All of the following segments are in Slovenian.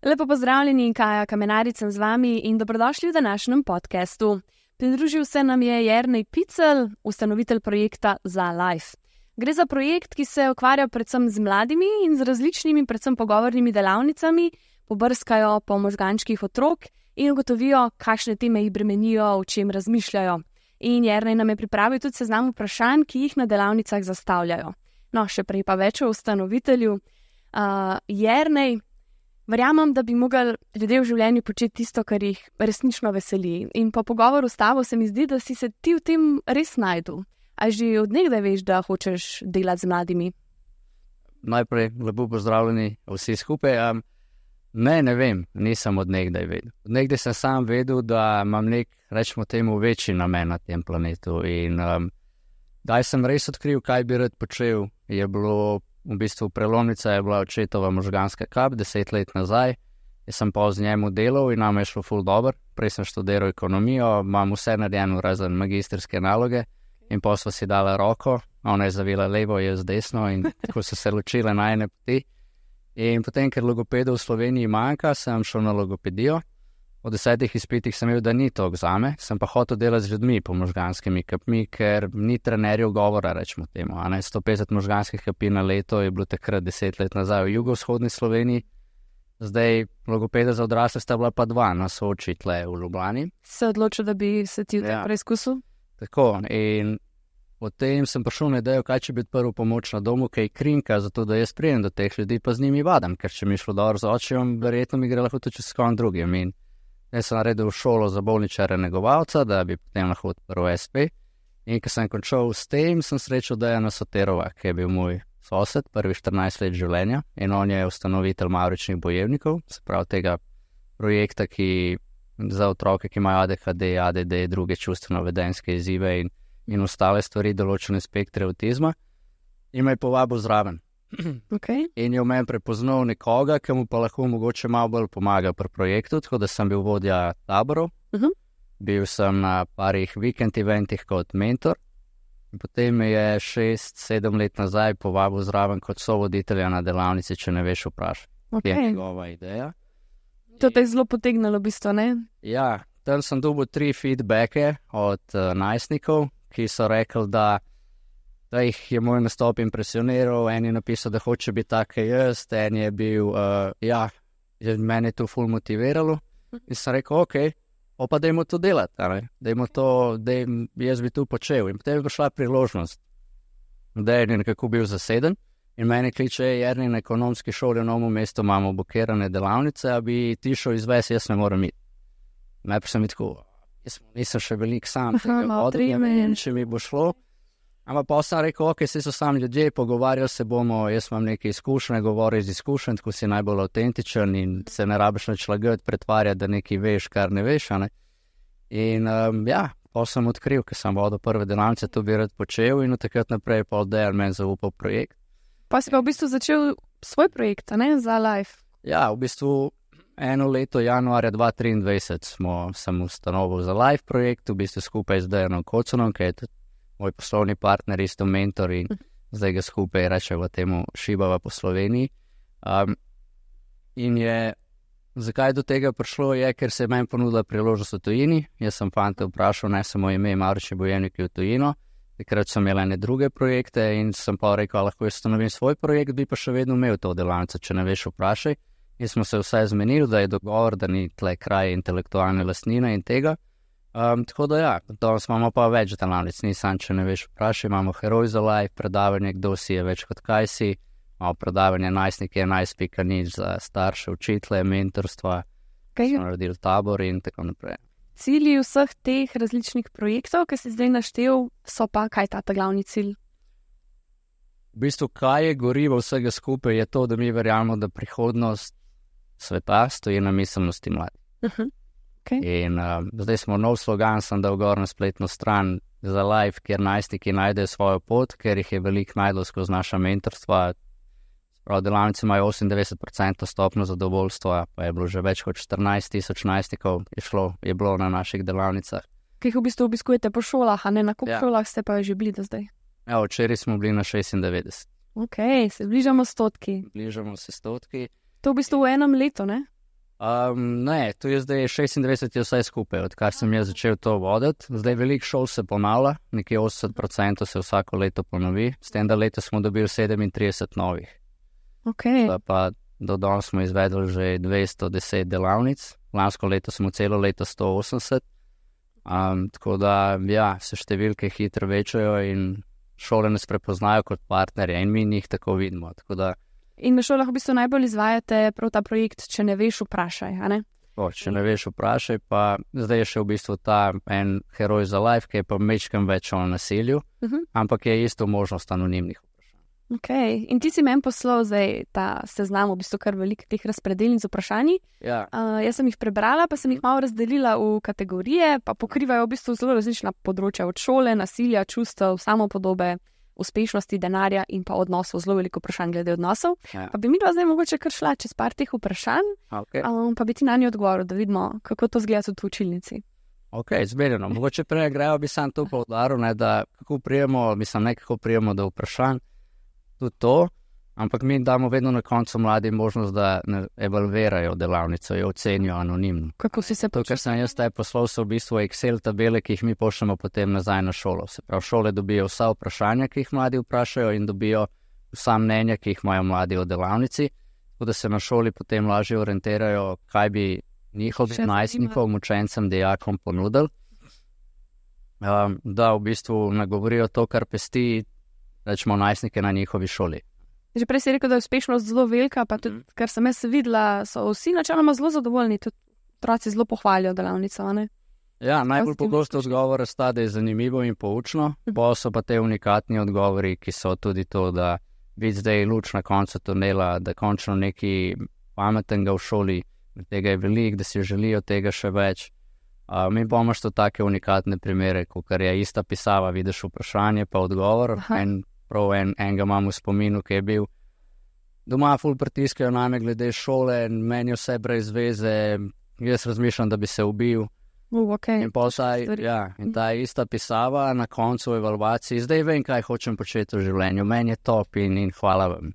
Lepo pozdravljeni, Kaja Kamenarič sem z vami in dobrodošli v današnjem podcastu. Pridružil se nam je Jernej Picelj, ustanovitelj projekta ZaLife. Gre za projekt, ki se ukvarja predvsem z mladimi in z različnimi, predvsem pogovornimi delavnicami, pobrskajo po možgančkih otrok in ugotovijo, kakšne teme jih bremenijo, o čem razmišljajo. In Jernej nam je pripravil tudi seznam vprašanj, ki jih na delavnicah zastavljajo. No, še prej pa več o ustanovitelju. Jernej, verjamem, da bi mogli ljudje v življenju početi tisto, kar jih resnično veseli. In po pogovoru s tabo se mi zdi, da si se ti v tem res našel. A že od nekdaj veš, da hočeš delati z mladimi? Najprej lepo pozdravljeni vsi skupaj. Ne vem, nisem od nekdaj vedel. Od nekdaj sem sam vedel, da imam nek, rečemo temu, večji namen na tem planetu. In daj sem res odkril, kaj bi rad počel. Je bilo v bistvu prelomnica, je bila očetova možganska kap 10 let nazaj. Jaz sem pa z njemu delal in nam je šlo ful dobro. Prej sem študiral ekonomijo, imam vse narejeno razen magistrske naloge. In pa sva si dala roko, ona je zavila levo, jaz desno in tako so se ločile najine poti. In potem, ker logopedov v Sloveniji manjka, sem šel na logopedijo. Po 10 izpitih sem imel, da ni to zame, sem pa hotel delati z ljudmi po možganskimi kapmi, ker ni trenerjev govora, rečemo temu. 150 možganskih kapi na leto je bilo takrat 10 let nazaj v jugovzhodni Sloveniji. Zdaj logopeda za odrasle sta bila pa 2 na Soči tle v Ljubljani. Se odločil, da bi se ti preizkusil? Tako, in potem sem prišel na idejo, kaj če bi odprl pomoč na domu, kaj krinka, zato da jaz prijem do teh ljudi, pa z njimi vadam, ker če mi šlo dobro z očem, verjetno mi gre lahko tudi s kom drugim. In jaz sem naredil šolo za bolničare negovalca, da bi potem lahko odprl SP. In ko sem končal s tem, sem srečal Dejana Soterova, ki je bil moj sosed, prvi 14 let življenja, in on je ustanovitelj mavričnih bojevnikov, se pravi tega projekta, ki za otroke, ki imajo ADHD, ADD, druge čustveno-vedenjske izzive in ostale stvari, določene spektre avtizma, in me je povabil zraven. Okay. In je v meni prepoznal nekoga, ki mu pa lahko mogoče malo bolj pomaga pri projektu, tako da sem bil vodja taborov. Bil sem na parih vikend eventih kot mentor. In potem me je 6-7 let nazaj povabil zraven kot sovoditelja na delavnici, če ne veš vprašati. Okay. Je njegova ideja. To te je zelo potegnilo, v bistvu, ne? Ja, tam sem dobil 3 feedbacke od najstnikov, ki so rekli, da jih je moj nastop impresioniral. En je napisal, da hoče biti tak jaz, en je bil, mene je to ful motiviralo. In sem rekel, pa dajmo to delati, dajmo to, jaz bi to počel. In potem je prišla priložnost, da je nekako bil zaseden. In mene kliče, Jernej, na ekonomski šoli v Novem mestu imamo blokirane delavnice, a bi ti šel izvesti, jaz ne morem iti. Najprej sem tako, jaz nisem še velik sam, če mi bo šlo. Ampak pa sem rekel, se so sami ljudje, pogovarjali se bomo, jaz imam neke izkušnje, govori iz izkušenj, tako si najbolj avtentičen in se ne rabiš nič lagati, pretvarjati, da nekaj veš, kar ne veš. In pa sem odkril, ker sem vodil prve delavnice, to bi rad počel in od takrat naprej pa Dejan meni zaupal projekt. Pa si pa v bistvu začel svoj projekt, ZaLife? Ja, v bistvu eno leto, januarja 2023, sem ustanovil ZaLife projekt, v bistvu skupaj z Dejanom Koconom, ki je tudi moj poslovni partner, isto mentor in zdaj ga skupaj rečemo temu šibava po Sloveniji. In zakaj do tega prišlo je, ker se je meni ponudila priložnost v tujini. Jaz sem fante vprašal, ne samo ime Mavrični bojevniki v tujino. Takrat sem imel ene druge projekte in sem pa rekel, lahko jaz ustanovim svoj projekt, bi pa še vedno imel to delavnico, če ne veš, vprašaj. In smo se vse zmenili, da je dogovor, da ni tle kraj intelektualne lastnine in tega. Tako da danes imamo pa več delavnic, nisem, če ne veš, vprašaj, imamo Heroj za Life, predavanje, kdo si je več kot kaj si, imamo predavanje najstniki 11.0 za starše, učitelje, mentorstva, smo naredili tabor in tako naprej. Cilji vseh teh različnih projektov, ki si zdaj naštel, so pa kaj ta glavni cilj? V bistvu, kaj je gorivo vsega skupaj, je to, da mi verjamemo, da prihodnost sveta stoji na miselnosti mladih. In zdaj smo nov slogan, sem dal gor na spletno stran ZaLife, kjer najstniki najdejo svojo pot, ker jih je veliko najdel skozi naša mentorstva. Prav delavnice imajo 98% stopnjo zadovoljstva, pa je bilo že več kot 14,000 najstnikov je bilo na naših delavnicah. Ki jih v bistvu obiskujete po šolah, a ne na koliko šolah ste pa že bili do zdaj? Ja, včeraj smo bili na 96. Ok, se bližamo 100. Bližamo se 100. To v bistvu v enem letu, ne? Ne, to je zdaj 26 je vse skupaj, odkar sem jaz začel to voditi. Zdaj veliko šol se ponavlja, nekje 80% se vsako leto ponovi, s tem, da leto smo dobili 37 novih. Ok. Pa do danes smo izvedli že 210 delavnic, lansko leto smo celo leto 180, tako da ja, se številke hitro večajo in šole nas prepoznajo kot partnerje in mi njih tako vidimo. Tako da, in na šolah v bistvu najbolj izvajate prav ta projekt, če ne veš, vprašaj, a ne? Če ne veš, vprašaj, pa zdaj je še v bistvu ta en heroj za life, ki je pa mečkam več o nasilju, ampak je isto možnost anonimnih vprašanj. Ok, in ti si meni poslal zdaj ta seznam, v bistvu kar veliko teh razpredelnic z vprašanji. Ja. Jaz sem jih prebrala, pa sem jih malo razdelila v kategorije, pa pokrivajo v bistvu zelo različna področja, od šole, nasilja, čustev, samopodobe, uspešnosti, denarja in pa odnosov, zelo veliko vprašanj glede odnosov. Ja. Pa bi mi zdaj mogoče kar šla čez par teh vprašanj, Okay. Pa bi ti na njo odgovoril, da vidimo, kako to zgleda tudi v učilnici. Ok, zmerjeno. Mogoče prej grejo bi sam to poudaril, da kako prijemo do vprašanj, tudi to, ampak mi damo vedno na koncu mladim možnost, da evalvirajo delavnico, jo ocenijo anonimno. Kako si se To, kar sem jaz taj poslal, so v bistvu Excel tabele, ki jih mi pošljemo potem nazaj na šolo. Se pravi, šole dobijo vsa vprašanja, ki jih mladi vprašajo in dobijo vsa mnenja, ki jih imajo mladi o delavnici, tako da se na šoli potem lažje orientirajo, kaj bi njihovim najstnikom, učencem, dijakom ponudili, da v bistvu nagovorijo to, kar pesti, rečemo, najstnike na njihovi šoli. Že prej si rekel, da je uspešnost zelo velika, pa tudi, kar sem jaz videla, so vsi načeloma zelo zadovoljni, tudi otroci zelo pohvalijo delavnico, ne? Ja, najbolj pogosto odgovor sta, da je zanimivo in poučno, pa so pa te unikatni odgovori, ki so tudi to, da vidi zdaj luč na koncu tunela, da končno nekaj pametnega v šoli, tega je veliko, da si želijo tega še več. Mi pa imaš to take unikatne primere, kot je ista pisava, vidiš vprašanje pa odgovor. Enega imam v spominu, ki je bil doma ful pritiskajo name glede šole, meni vse brez veze, jaz razmišljam, da bi se ubil. Okay. In ta ista pisava na koncu evalvaciji, zdaj vem, kaj hočem početi v življenju, meni je top in hvala vam.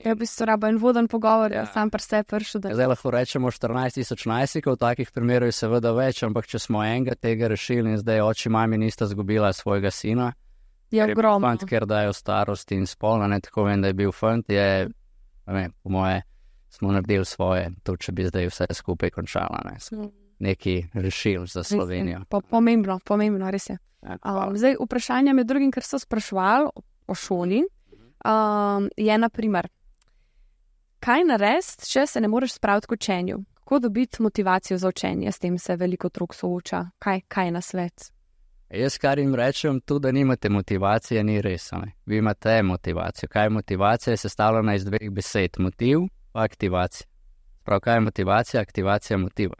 Ja, v bistvu raba en voden pogovor, sam pri sebi prišel. Zdaj lahko rečemo 14,000 najstnikov, takih primerov je seveda več, ampak če smo enega tega rešili in zdaj oči mami nista zgubila svojega sina, je ogromno. Fant, ker dajo starost in spol, ne tako vem, da je bil fant, je, po moje, smo naredili svoje, to če bi zdaj vse skupaj končala, ne. Neki rešil za Slovenijo. Pomembno, res je. Zdaj, vprašanja med drugim, ker so spraševali o šoli, je naprimer, kaj narediti, če se ne moreš spraviti k učenju? Kako dobiti motivacijo za učenje? S tem se veliko otrok sooča. Kaj je na svet? Jaz, kar jim rečem, tudi da nimate motivacije, ni res. Ne? Vi imate motivacijo. Kaj je motivacija? Je sestavljena iz dveh besed. Motiv pa aktivacija. Prav, kaj je motivacija? Aktivacija motiva.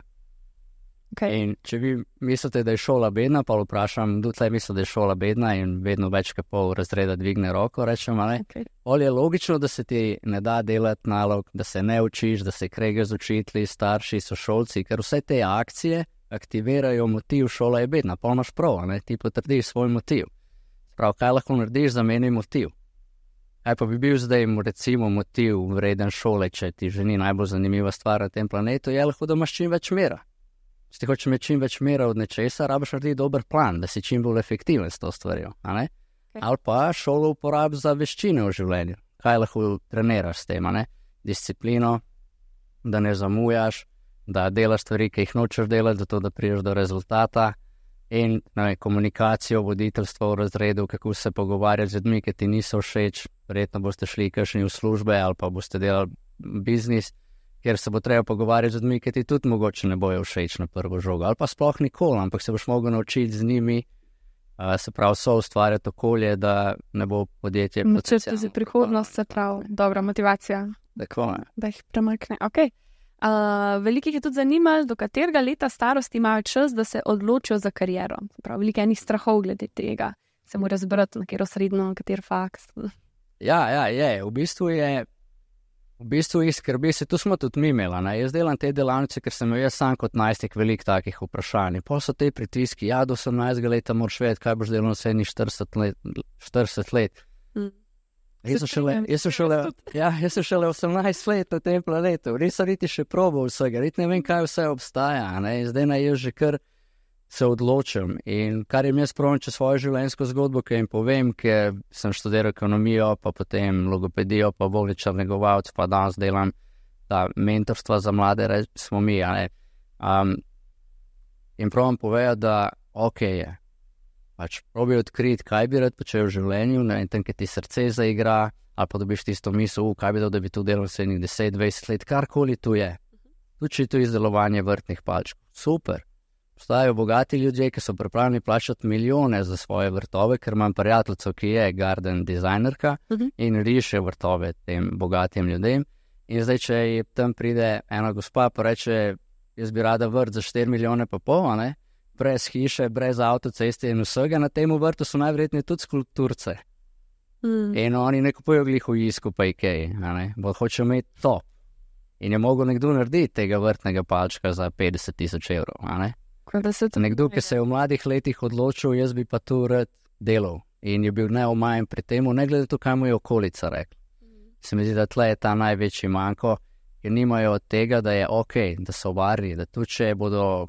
Okay. In če vi mislite, da je šola bedna, pa vprašam, kdo tle misli, da je šola bedna in vedno več kot pol razreda dvigne roko, rečem, ali okay. Je logično, da se ti ne da delati nalog, da se ne učiš, da se kregaš z učitelji, starši, sošolci, ker vse te akcije aktivirajo motiv, šola je bedna, pa imaš prav, ne? Ti potrdiš svoj motiv. Prav, kaj lahko narediš, zameni motiv. Kaj pa bi bil zdaj, recimo, motiv vreden šole, če ti že ni najbolj zanimiva stvar na tem planetu, je lahko, da imaš čim več mera. Če ti hočeš imeti čim več mera od nečesa, rabiš narediti dober plan, da si čim bolj efektiven s to stvarjo, a ne? Okay. Ali pa šolo uporabi za veščine v življenju. Kaj lahko treniraš s tem, a ne? Disciplino, da ne zamujaš, da delaš stvari, ki jih nočeš delati, zato da prideš do rezultata in komunikacijo, voditeljstvo v razredu, kako se pogovarjati z ljudmi, ki ti niso všeč, verjetno boste šli kakšni v službe ali pa boste delali biznis, kjer se bo treba pogovarjati z ljudmi, ki ti tudi mogoče ne bojo všeč na prvo žogo, ali pa sploh nikoli, ampak se boš mogel naučiti z njimi, se pravi, so ustvarjati okolje, da ne bo podjetje potencialno. Za prihodnost, se pravi, dobra motivacija. Tako je. Da jih premakne, ok. Velikih je tudi zanimalo, do katerega leta starosti imajo čas, da se odločijo za kariero. Prav, veliko enih strahov glede tega. Se mora zbrati na katero srednjo, na kater faks. Ja, je. V bistvu je V bistvu jih skrbi, se tu smo tudi mi imeli, ne? Jaz delam te delavnice, ker sem jaz sam kot najstnik veliko takih vprašanj. Pol so te pritiski, ja, do 18 leta moraš vedeti, kaj boš delal naslednjih 40 let. Jaz sem šele 18 let na tem planetu, res sem niti še probal vsega, res ne vem, kaj vse obstaja, ne? Zdaj naj jaz že kar se odločim in kar jim jaz pravim čez svojo življenjsko zgodbo, ki jim povem, ker sem študiral ekonomijo, pa potem logopedijo, pa bolničar negovalec, pa danes delam ta mentorstva za mlade, smo mi, ne? In pravim povedati, da ok je, pač probi odkriti, kaj bi rad počel v življenju, ne vem, tam, ki ti srce zaigra, ali pa dobiš tisto misel, kaj bi dal, da bi tu delal vseh 10-20 let, karkoli tu je. Tudi tu izdelovanje vrtnih palčkov, super. Obstajajo bogati ljudje, ki so pripravljeni plačati milijone za svoje vrtove, ker imam prijateljico, ki je garden dizajnerka in riše vrtove tem bogatim ljudem. In zdaj, če tam pride ena gospa, pa reče, jaz bi rada vrt za 4 milijone pa pol, ne? Brez hiše, brez avtoceste in vsega, na tem vrtu so najverjetneje tudi skulpturce. In oni ne kupujejo glih v Jisku pa Ikeji, bo hoče imeti to. In je mogel nekdo narediti tega vrtnega palčka za 50,000 evrov, Nekdo, ki se je v mladih letih odločil, jaz bi pa tu rad delal in je bil neomajen pri temu, ne glede to, kaj mu je okolica rekla. Se mi zdi, da tle je ta največji manko, ker nimajo od tega, da je ok, da so varni, da tudi če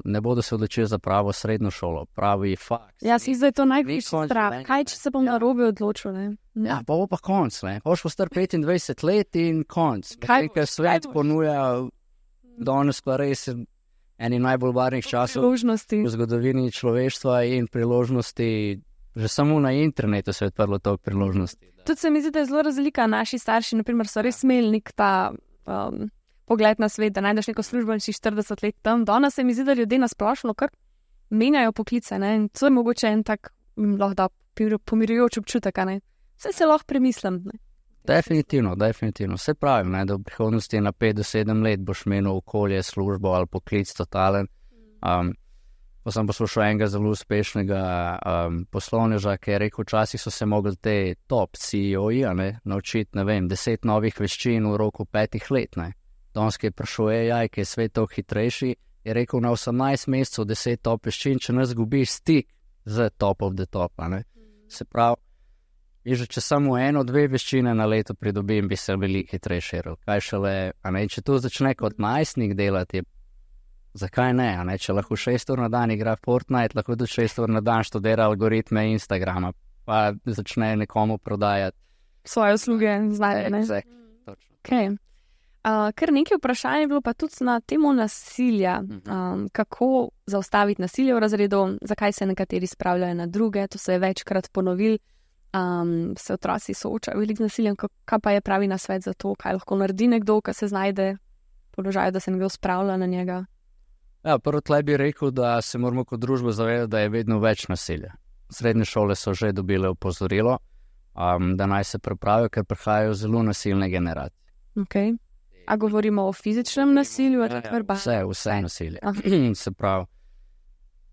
ne bodo se odločili za pravo srednjo šolo, pravi faks. Ja, si zdaj to največji strah. Kaj, če se bom narobe odločil, ne? Ja, pa bo pa konc, ne? Boš star 25 let in konc. Kaj svet ponuja danes pa res eni najbolj varnih časov v zgodovini človeštva in priložnosti, že samo na internetu se je odprlo toliko priložnosti. Tudi se mi zdi, da je zelo razlika. Naši starši, naprimer, so res imeli nek ta pogled na svet, da najdeš neko službo in si 40 let tam. Danes se mi zdi, da ljudje nasplošno kar menjajo poklice, ne? In to je mogoče en tak lahko da pomirjujoč občutek, ne? Vse se lahko premislim, ne? Definitivno. Vse pravim, ne, da v prihodnosti na 5 do 7 let boš menil okolje, službo ali poklic totalen. Pa sem poslušal enega zelo uspešnega poslovneža, ki je rekel, včasih so se mogli te top CEO-ji naučiti, 10 novih veščin v roku 5 let. Danes, ki je prišel AI, ki je svet toliko hitrejši, je rekel, na 18 mesecev 10 top veščin, če ne zgubiš stik z top of the top. Se pravi, če samo 1-2 veščine na leto pridobim, bi se veliko hitrejši. Kaj šele, če tu začne kot najstnik delati, zakaj ne? Če lahko 6 ur na dan igra Fortnite, lahko tudi 6 ur na dan študira algoritme Instagrama, pa začne nekomu prodajati svoje usluge, znanje. Okay. Kar nekaj vprašanj je bilo pa tudi na temo nasilja. Kako zaustaviti nasilje v razredu, zakaj se nekateri spravljajo na druge, to se je večkrat ponovil. Se otroci soočajo veliko z nasiljem, kaj pa je pravi nasvet za to, kaj lahko naredi nekdo, ki se znajde v položaju, da se nekdo spravlja na njega? Ja, prvo tle bi rekel, da se moramo kot družba zavedati, da je vedno več nasilja. Srednje šole so že dobile opozorilo, da naj se pripravijo, ker prihajajo zelo nasilne generacije. Okay. A govorimo o fizičnem nasilju ali verbalnem? Vse nasilje. Se pravi,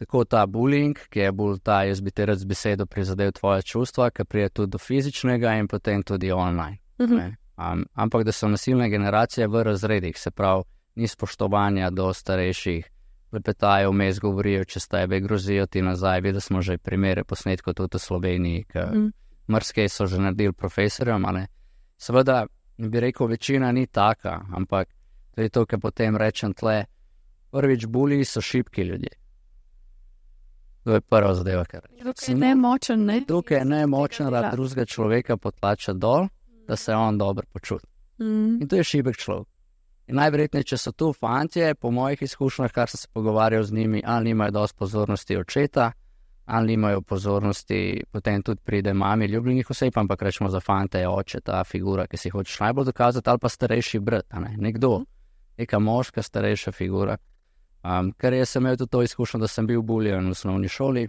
tako ta bullying, ki je bolj ta, jaz bi te rad z besedo prizadel tvoje čustva, ki prije tudi do fizičnega in potem tudi online. Ampak da so nasilne generacije v razredih, se pravi, ni spoštovanja do starejših, lepetajo, vmes govorijo čez tebe, grozijo ti nazaj, videli smo že primere posnetkov tudi v Sloveniji, mrske so že naredili profesorjem, seveda bi rekel, večina ni taka, ampak to je to, kar potem rečem tle, prvič buliji so šibki ljudje. To je prva zadeva, kar rečem. Tukaj je nemočen, ne? Tukaj je nemočen, da drugega človeka potlača dol, da se on dobro počuti. In to je šibek človek. In najverjetneje, če so tu fantje, po mojih izkušnjah, kar sem se pogovarjal z njimi, ali nimajo dosti pozornosti očeta, ali nimajo pozornosti, potem tudi pride mami ljubljenih oseb, ampak rečemo za fante je oče ta figura, ki si hočeš najbolj dokazati, ali pa starejši brat, nekdo, neka moška starejša figura. Ker jaz sem imel tudi to izkušnjo, da sem bil buljen v osnovni šoli.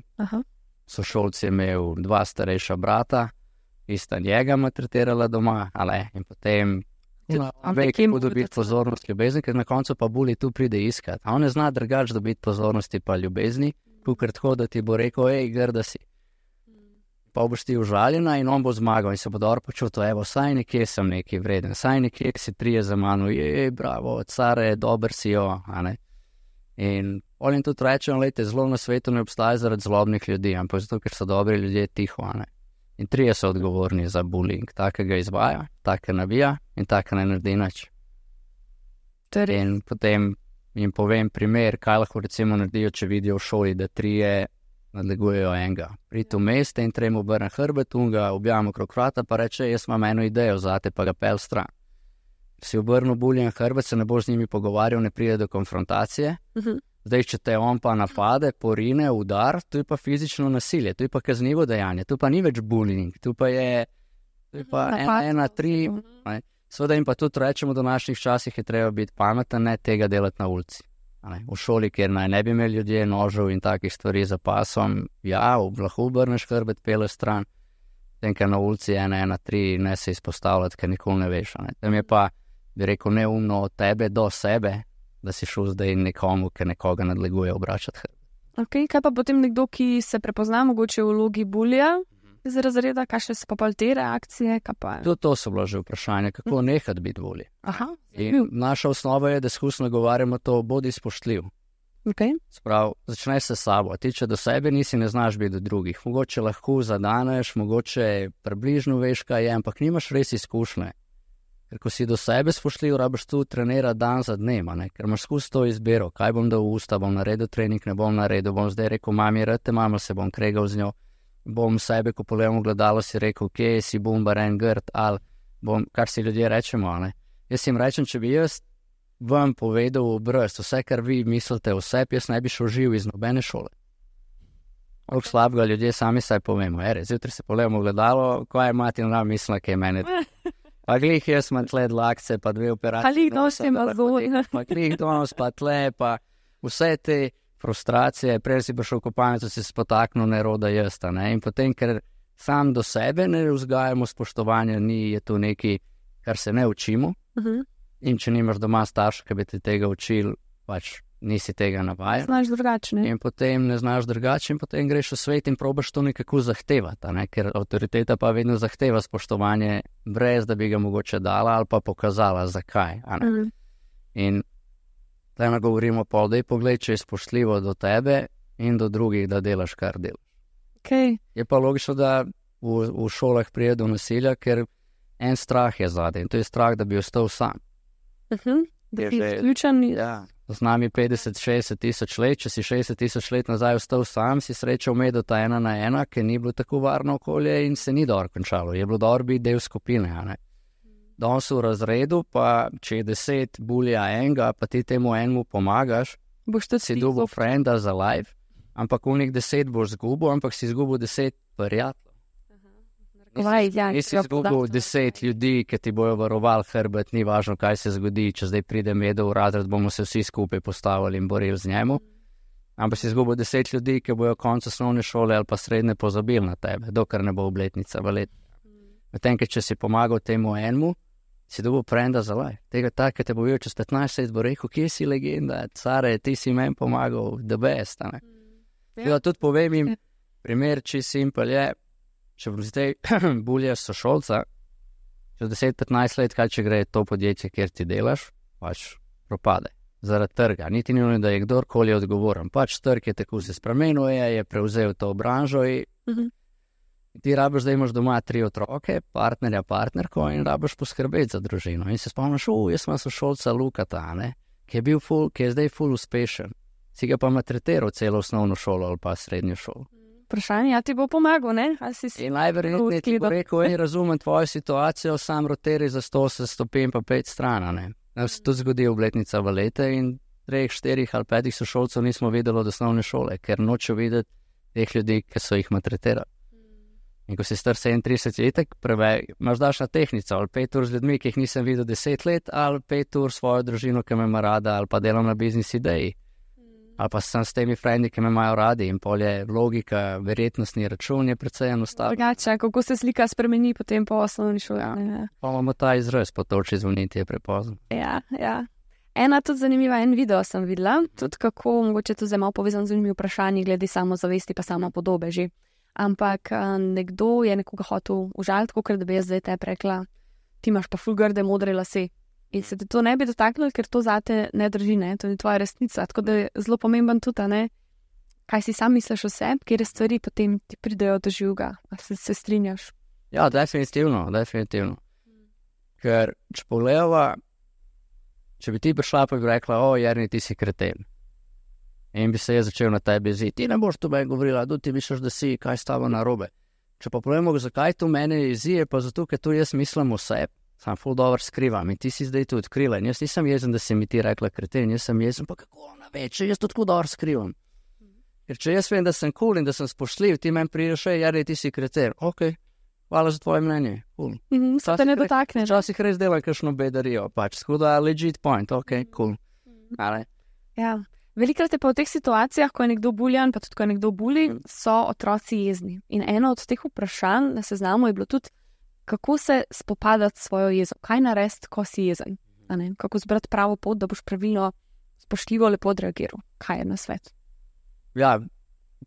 Sošolci je imel 2 starejša brata, ista njega maltretirala doma, in potem veki mu dobiti pozornost, ljubezni, ker na koncu pa bulji tu pride iskat. A on ne zna drugač dobiti pozornosti pa ljubezni, kukrat tako, da ti bo rekel, grda si. pa boš ti užaljena in on bo zmagal in se bo dobro počutil, evo, saj nekje sem nekaj vreden, saj nekje si prije za mano, bravo, care, dober si jo, a ne. In on jim tudi rečem, lejte, zlo na svetu ne obstaja zaradi zlobnih ljudi, ampak zato, ker so dobri ljudje tiho, a ne. In 3 so odgovorni za bullying, takega izvaja, takega navija in takega ne naredi nič. In potem jim povem primer, kaj lahko recimo naredijo, če vidijo v šoli, da 3 nadlegujejo enega. Pridi v meste in 3 obrne hrbet, ga objavimo okrog vrata, pa reče, jaz imam eno idejo zate, pa ga pel stran. Si obrnil buljen hrbet, se ne boš z njimi pogovarjal, ne pride do konfrontacije. Zdaj, če te on pa napade, porine, udar, to je pa fizično nasilje, to je pa kaznivo dejanje, to pa ni več bullying, to pa je 1-3. Seveda jim pa tudi rečemo, v današnjih časih je treba biti pameten, ne tega delati na ulici. V šoli, kjer naj ne bi imeli ljudje nožev in takih stvari za pasom, ja, lahko obrneš hrbet, peleš stran, tenka na ulici 1-3, ne se izpostavljati, ker nikoli ne veš. Tam je pa, bi rekel, neumno od tebe do sebe, da si šel zdaj nekomu, ker nekoga nadleguje, obračati hrbet. Ok, kaj pa potem nekdo, ki se prepozna mogoče v vlogi bulija iz razreda, kakšne so pa te reakcije? To so bilo že vprašanje, kako nehati biti bulij. In naša osnova je, da skusno govarjamo to, bodi spoštljiv. Sprav, začneš se sabo, ti če do sebe nisi, ne znaš biti do drugih. Mogoče lahko zadaneš, mogoče približno veš, kaj je, ampak nimaš res izkušnje. Ker ko si do sebe spoštljiv, rabiš tu trenirati dan za dnem, ker imaš skozi to izbiro, kaj bom dal v usta, bom naredil trening, ne bom naredil, bom zdaj rekel, mami, rad te mama, se bom kregal z njo, bom sebe, ko pogledam v gledalo, si rekel, kje si bumbar en grd, ali bom, kar si ljudje rečemo, Jaz jim rečem, če bi jaz vam povedal v obraz, vse, kar vi mislite o sebi, jaz ne bi šel živ iz nobene šole. Koliko slabega ljudje sami saj povemo, zjutraj se pogledamo v gledalo, ko je mati na mislila, kaj je mene. Pa glih jaz imam tle dlakce, pa 2 operacije. Pa glih nosim azor. Pa glih donos, pa tle, pa vse te frustracije, prej si pa šel v kopalnico, si spotaknil neroda jazda, In potem, ker sam do sebe ne vzgajamo spoštovanja, je to nekaj, kar se ne učimo. In če nimaš doma starša, ki bi te tega učil, pač nisi tega navajen. Znaš drugače, ne? In potem ne znaš drugače in potem greš v svet in probaš to nekako zahtevati, ker avtoriteta pa vedno zahteva spoštovanje, brez da bi ga mogoče dala ali pa pokazala, zakaj. In tukaj nagovorimo pol, daj pogled, če je spoštljivo do tebe in do drugih, da delaš, kar delaš. Je pa logično, da v šolah pride do nasilja, ker en strah je zadaj in to je strah, da bi ostal sam. Da si izključen. Ja. Z nami 50-60 tisoč let, če si 60 tisoč let nazaj ostal sam, si srečal medota 1-1, ker ni bilo tako varno okolje in se ni dobro končalo. Je bilo dobro biti del skupine, Danes v razredu, pa če je 10 bulija enega, pa ti temu enemu pomagaš, si dobil frenda za life, ampak v njih 10 boš zgubil, ampak si zgubil 10 prijateljev. Nisi izgubil 10 ljudi, ki ti bojo varovali hrbet, ni važno, kaj se zgodi, če zdaj pride medo v razred, bomo se vsi skupaj postavili in borili z njemu. Ampak si izgubil 10 ljudi, ki bojo konec osnovne šole ali pa srednje pozabili na tebe, dokler ne bo obletnica v letu. Medtem, če si pomagal temu enemu, si dobil frenda za life. Tega tak, ki te bo videl čez 15 let, bo rekel, kje si legenda, care, ti si meni pomagal, the best. Tudi povem jim, primer, če simpel je, če zdaj buljaš sošolca, čez 10-15 let, kaj če gre to podjetje, kjer ti delaš, pač propade. Zaradi trga. Niti ni, da je kdorkoli odgovoren. Pač trg je tako se spremenil, je prevzel to branžo in ti rabiš, da imaš doma 3 otroke, partnerja, partnerko in rabiš poskrbeti za družino. In se spomniš, jaz sem sošolca Lukata, ki je zdaj ful uspešen. Si ga pa maltretiral celo osnovno šolo ali pa srednjo šolo. Vprašanje, ti bo pomagal, ne? In najverjetneje ti bo rekel, razumem tvojo situacijo, sam roteri za 100 stopinj pa 5 stran, Se tudi zgodi obletnica v lete in 3, 4 ali 5 sošolcev nismo videli od osnovne šole, ker nočejo videti teh ljudi, ki so jih maltretirali. In ko si star 37 letek, imaš daš na tehnico, ali 5 ur z ljudmi, ki jih nisem videl 10 let, ali 5 ur svojo družino, ki me ima rada, ali pa delam na biznis ideji. Ali pa sem s temi frendi, ki me imajo radi in pol je logika, verjetnostni račun je precej enostaven. Drugače, kako se slika spremeni potem po osnovni šoli. Pa imamo ta izraz, potoči zvoniti je prepozno. Ja. Ena tudi zanimiva, en video sem videla, tudi kako, mogoče to zdaj malo povezan z unimi vprašanji, glede samozavesti pa sama podobe že. ampak nekdo je nekoga hotel užaliti, kot da bi jaz zdaj te rekla, ti imaš pa ful grde modre lase. In se te to ne bi dotaknilo, ker to zate ne drži, ne? To je tvoja resnica. Tako da je zelo pomemben tudi, ne? Kaj si sam misliš o sebi, kjer stvari potem ti pridejo do živega. A se strinjaš? Ja, definitivno. Ker če pogledava, če bi ti prišla pa bi rekla, Jernej, ti si kreten. In bi se je začel na tebi jeziti. Ti ne boš to meni govorila, ti misliš, da si, kaj stava narobe. Če pa pogledamo, zakaj to mene jezi, je pa zato, ker to jaz mislim o sebi. Sam ful dobro skrivam in ti si zdaj to odkrila. In jaz nisem jezen, da si mi ti rekla kreten, jaz sem jezen, pa kako ona več, jaz to tako dobro skrivam. Ker če jaz vem, da sem cool in da sem spoštljiv, ti meni prideš, Jernej, ti si kreten. Ok, hvala za tvoje mnenje. Cool. Se te ne dotakne. Včasih res delam kakšno bedarijo, pač. Tako da legit point, ok, cool. Ja. Velikrat je pa v teh situacijah, ko je nekdo buljan, pa tudi ko je nekdo buli, so otroci jezni. In eno od teh vprašanj na seznamu je bilo tudi, kako se spopadati s svojo jezo, kaj narediti, ko si jezen, kako zbrati pravo pot, da boš pravilno, spoštljivo, lepo odreagiral. Kaj je na svet? Ja,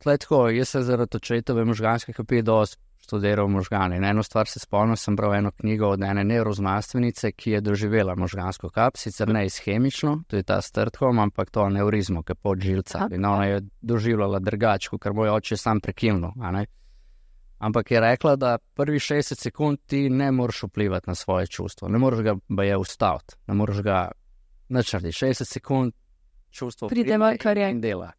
tako, jaz se zaradi očetove možganske kapije dosti študiral možgane. In eno stvar se spomnim, sem bral eno knjigo od ene nevroznanstvenice, ki je doživela možgansko kap, sicer ne ishemično, to je ta Stratholm, ampak to aneurizmo, ki je pod žilca. In ona je doživljala drugače, ker moj oče je sam prekinil, Ampak je rekla, da prvi 60 sekund ti ne moreš vplivati na svoje čustvo, ne moreš ga baje ustaviti, ne moreš ga načrti. 60 sekund čustvo pride in dela.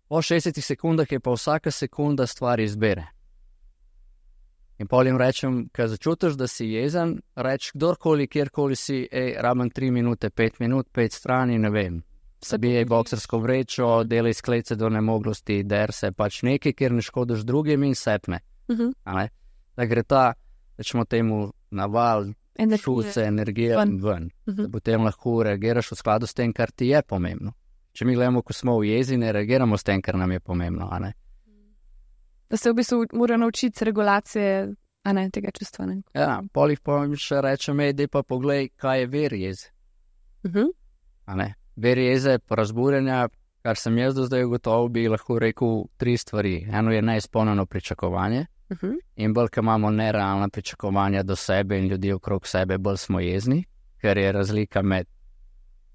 Po 60 sekundah je pa vsaka sekunda stvar izbere. In pol jim rečem, kad začutiš, da si jezen, reč kdorkoli, kjerkoli si, rabim 3 minute, 5 minut, 5 strani, ne vem. Sabijaj boksersko vrečo, delaj sklece do nemoglosti, der se, pač nekaj, kjer ne škodiš drugim in sepne. Da gre ta, rečemo temu, naval, šuce, energije ven. Da potem lahko reagiraš v skladu s tem, kar ti je pomembno. Če mi gledamo, ko smo v jezi, ne reagiramo s tem, kar nam je pomembno, Da se v bistvu mora naučiti regulacije, tega čustva, Ja, polih pa še rečem, dej pa poglej, kaj je ver jeze. Ver jeze, razburjenja, kar sem jaz do zdaj ugotovil, bi lahko rekel 3 stvari. Eno je neizpolnjeno pričakovanje in bolj, ko imamo nerealna pričakovanja do sebe in ljudi okrog sebe, bolj smo jezni, ker je razlika med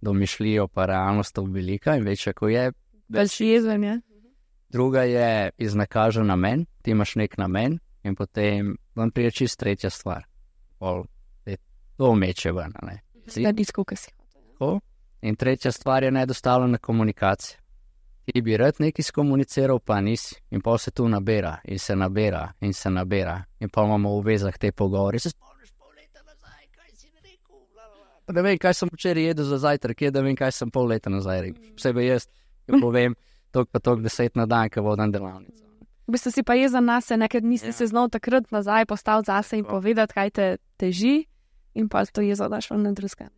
domišljijo pa realnostjo velika in večja, ko je. Več jezen, ja. Druga je iznakažen namen, ti imaš nek namen in potem vam prije čist tretja stvar. To meče ven, Da diskuka si. In tretja stvar je nedostavljena komunikacija. Ti bi rad nekaj skomuniciral, pa nisi. In pol se tu nabira in se nabira in se nabira. In pa imamo v vezah te pogovore. Se spomniš pol leta nazaj, kaj si rekel? Pa ne vem, kaj sem včeraj jedel za zajtrk, da vem, kaj sem pol leta nazaj rekel. Posebej jaz, ki povem, toliko pa toliko 10 na dan, ko vodim delavnico. V bistvu si pa jezen na se, nekaj nisi se znal takrat nazaj postaviti zase in povedati, kaj te teži, in pa to jezo daš v nedruzga.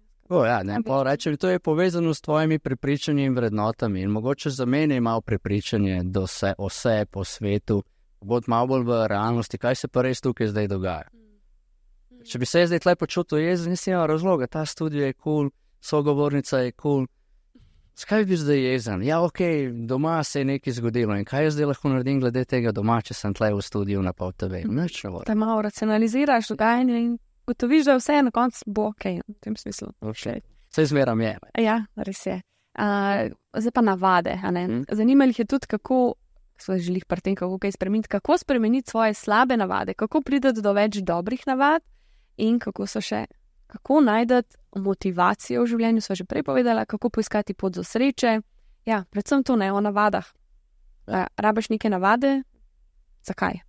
Pa rečem, to je povezano s tvojimi prepričanji in vrednotami in mogoče za mene je malo prepričanje o sebi, po svetu, bod malo bolj v realnosti, kaj se pa res tukaj zdaj dogaja. Če bi se zdaj tle počutil jezen, nisem imel razloga, ta studio je cool, sogovornica je cool. Skaj bi zdaj jezen? Ja, ok, doma se je nekaj zgodilo in kaj jaz zdaj lahko naredim glede tega doma, če sem tle v studiu na Pol TV? Nič ne bo. Da malo racionaliziraš dogajanje in gotoviš, da vse na koncu bo ok, v tem smislu. Vse zmeram je. Ja, res je. Zdaj pa navade, Zanimali jih je tudi, kako, so želih pri tem, kako kaj spremeniti, kako spremeniti svoje slabe navade, kako priti do več dobrih navad in kako najdeti motivacijo v življenju, sva že prej povedala, kako poiskati pot do sreče. Ja, predvsem to o navadah. Rabiš neke navade? Zakaj?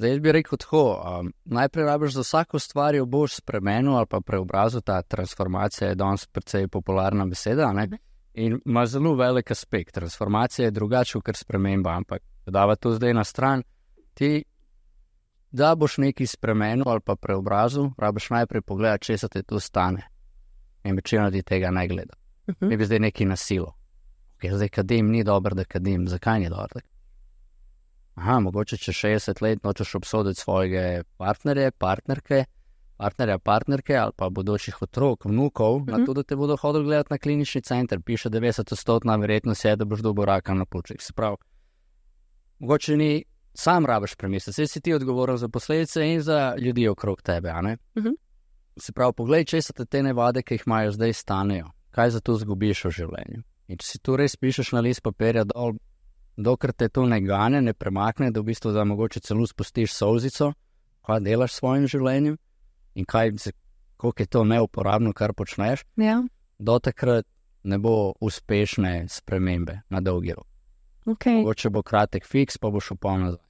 Zdaj bi rekel tako, najprej rabiš za vsako stvar jo boš spremenil ali pa preobrazil, ta transformacija je danes precej popularna beseda, in ima zelo velik aspekt. Transformacija je drugače kot sprememba, ampak dava to zdaj na stran, ti da boš nekaj spremenil ali pa preobrazil, rabiš najprej pogledati, če se te to stane. In večina ti tega ne gleda. Mi bi zdaj nekaj na silo. Zdaj kadim, ni dobro, da kadim. Zakaj ni dobro? Mogoče če 60 let nočeš obsoditi svojega partnerja, partnerke ali pa bodočih otrok, vnukov, na to, da te bodo hodili gledati na klinični center, piše 90% verjetnost je, da boš dobil raka na pljučih. Se pravi, mogoče ni, sam rabiš premisliti, saj si ti odgovoren za posledice in za ljudi okrog tebe, a ne? Se pravi, poglej, če so te navade, ki jih imajo zdaj, stanejo, kaj za to zgubiš v življenju. In če si tu res pišeš na list papirja dol, dokler te to ne gane, ne premakne, da v bistvu da mogoče celo spustiš solzico, kaj delaš s svojim življenjem in koliko je to neuporabno, kar počneš, do takrat ne bo uspešne spremembe na dolgi rok. Mogoče bo kratek fiks, pa boš upal nazaj.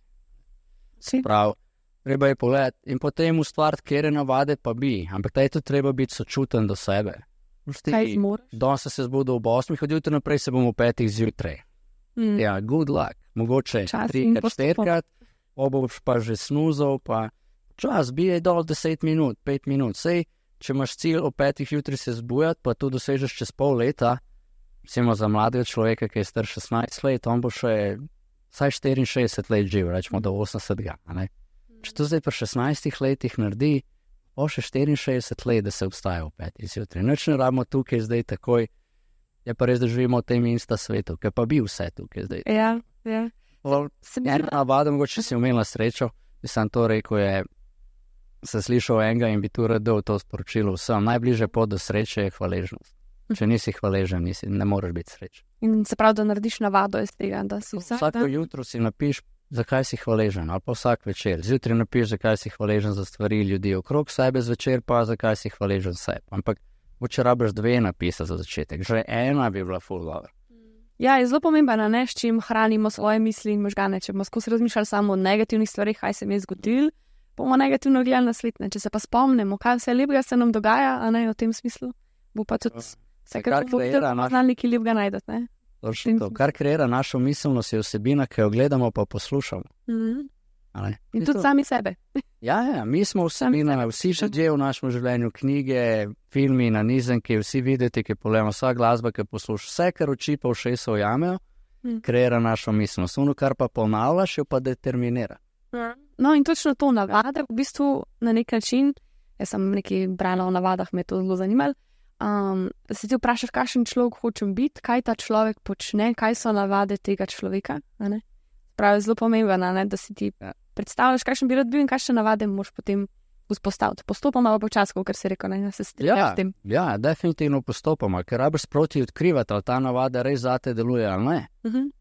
Se pravi, treba je pogledati in potem ustvariti, kjer navade pa bi, ampak taj tudi treba biti sočuten do sebe. Kaj zmoriš? Danes se zbudil ob 8, od jutra naprej se bom v 5 zjutraj. Ja, good luck. Mogoče 3-4krat, boš pa že snuzal, pa čas, bijaj dol 10 minut, 5 minut. Sej, če imaš cilj o 5 jutri se zbujati, pa to dosežeš čez pol leta, recimo za mladega človeka, ki je star 16 let, on bo še vsaj 64 let živ, rečemo do 80. Če to zdaj pri 16 letih naredi, bo še 64 let, da se obstaja v 5 zjutraj. Nič ne rabimo tukaj zdaj takoj, je pa res, da živimo v tem insta svetu, ki pa bi vse tukaj zdaj. Ja. Ena navada, mogoče si imela srečo, bi sam to rekel, se slišal enega in bi tu redel to sporočilo vsem. Najbližje pot do sreče je hvaležnost. Če nisi hvaležen, ne moreš biti srečen. In se pravi, da narediš navado iz tega, da si vsako jutro si napiš, zakaj si hvaležen, ali pa vsak večer. Zjutraj napiš, zakaj si hvaležen za stvari ljudi okrog sebe, zvečer pa zakaj si hvaležen sebi. Ampak če rabiš 2 napisa za začetek, že ena bi bila full dobro. Ja, je zelo pomembno, s čim hranimo svoje misli in možgane. Če bomo skozi razmišljali samo o negativnih stvarih, kaj se mi je zgodilo, bomo negativno gledali na svet. Če se pa spomnimo, kaj vse lepega se nam dogaja, a ne v tem smislu, bo pa tudi vse, kar poznalniki lepega najdete. Kar kreira našo miselnost, je vsebina, ki jo gledamo pa poslušamo. In tudi sami sebe. Ja, mi smo vsebina, vsi ljudje v našem življenju, knjige, filmi, nanizanke, vsi videti, ki pogledamo, vsa glasba, ki poslušaš, vse, kar oči pa ušesa ujamejo, kreira našo miselnost. Ono, kar pa ponavljaš, jo pa determinira. No in točno to navade, v bistvu na nek način, jaz sem nekaj brala o navadah, me je to zelo zanimalo, da se ti vprašaš, kakšen človek hočem biti, kaj ta človek počne, kaj so navade tega človeka, pravi, zelo pomembno, da si ti predstavljaš, kakšen bi rad bil in kakšne navade moraš potem vzpostaviti. Postopoma pa počasno, ker se rekel, da se strinjaš s tem. Ja, definitivno postopoma, ker rabiš sproti odkrivati, ali ta navada res zate deluje ali ne.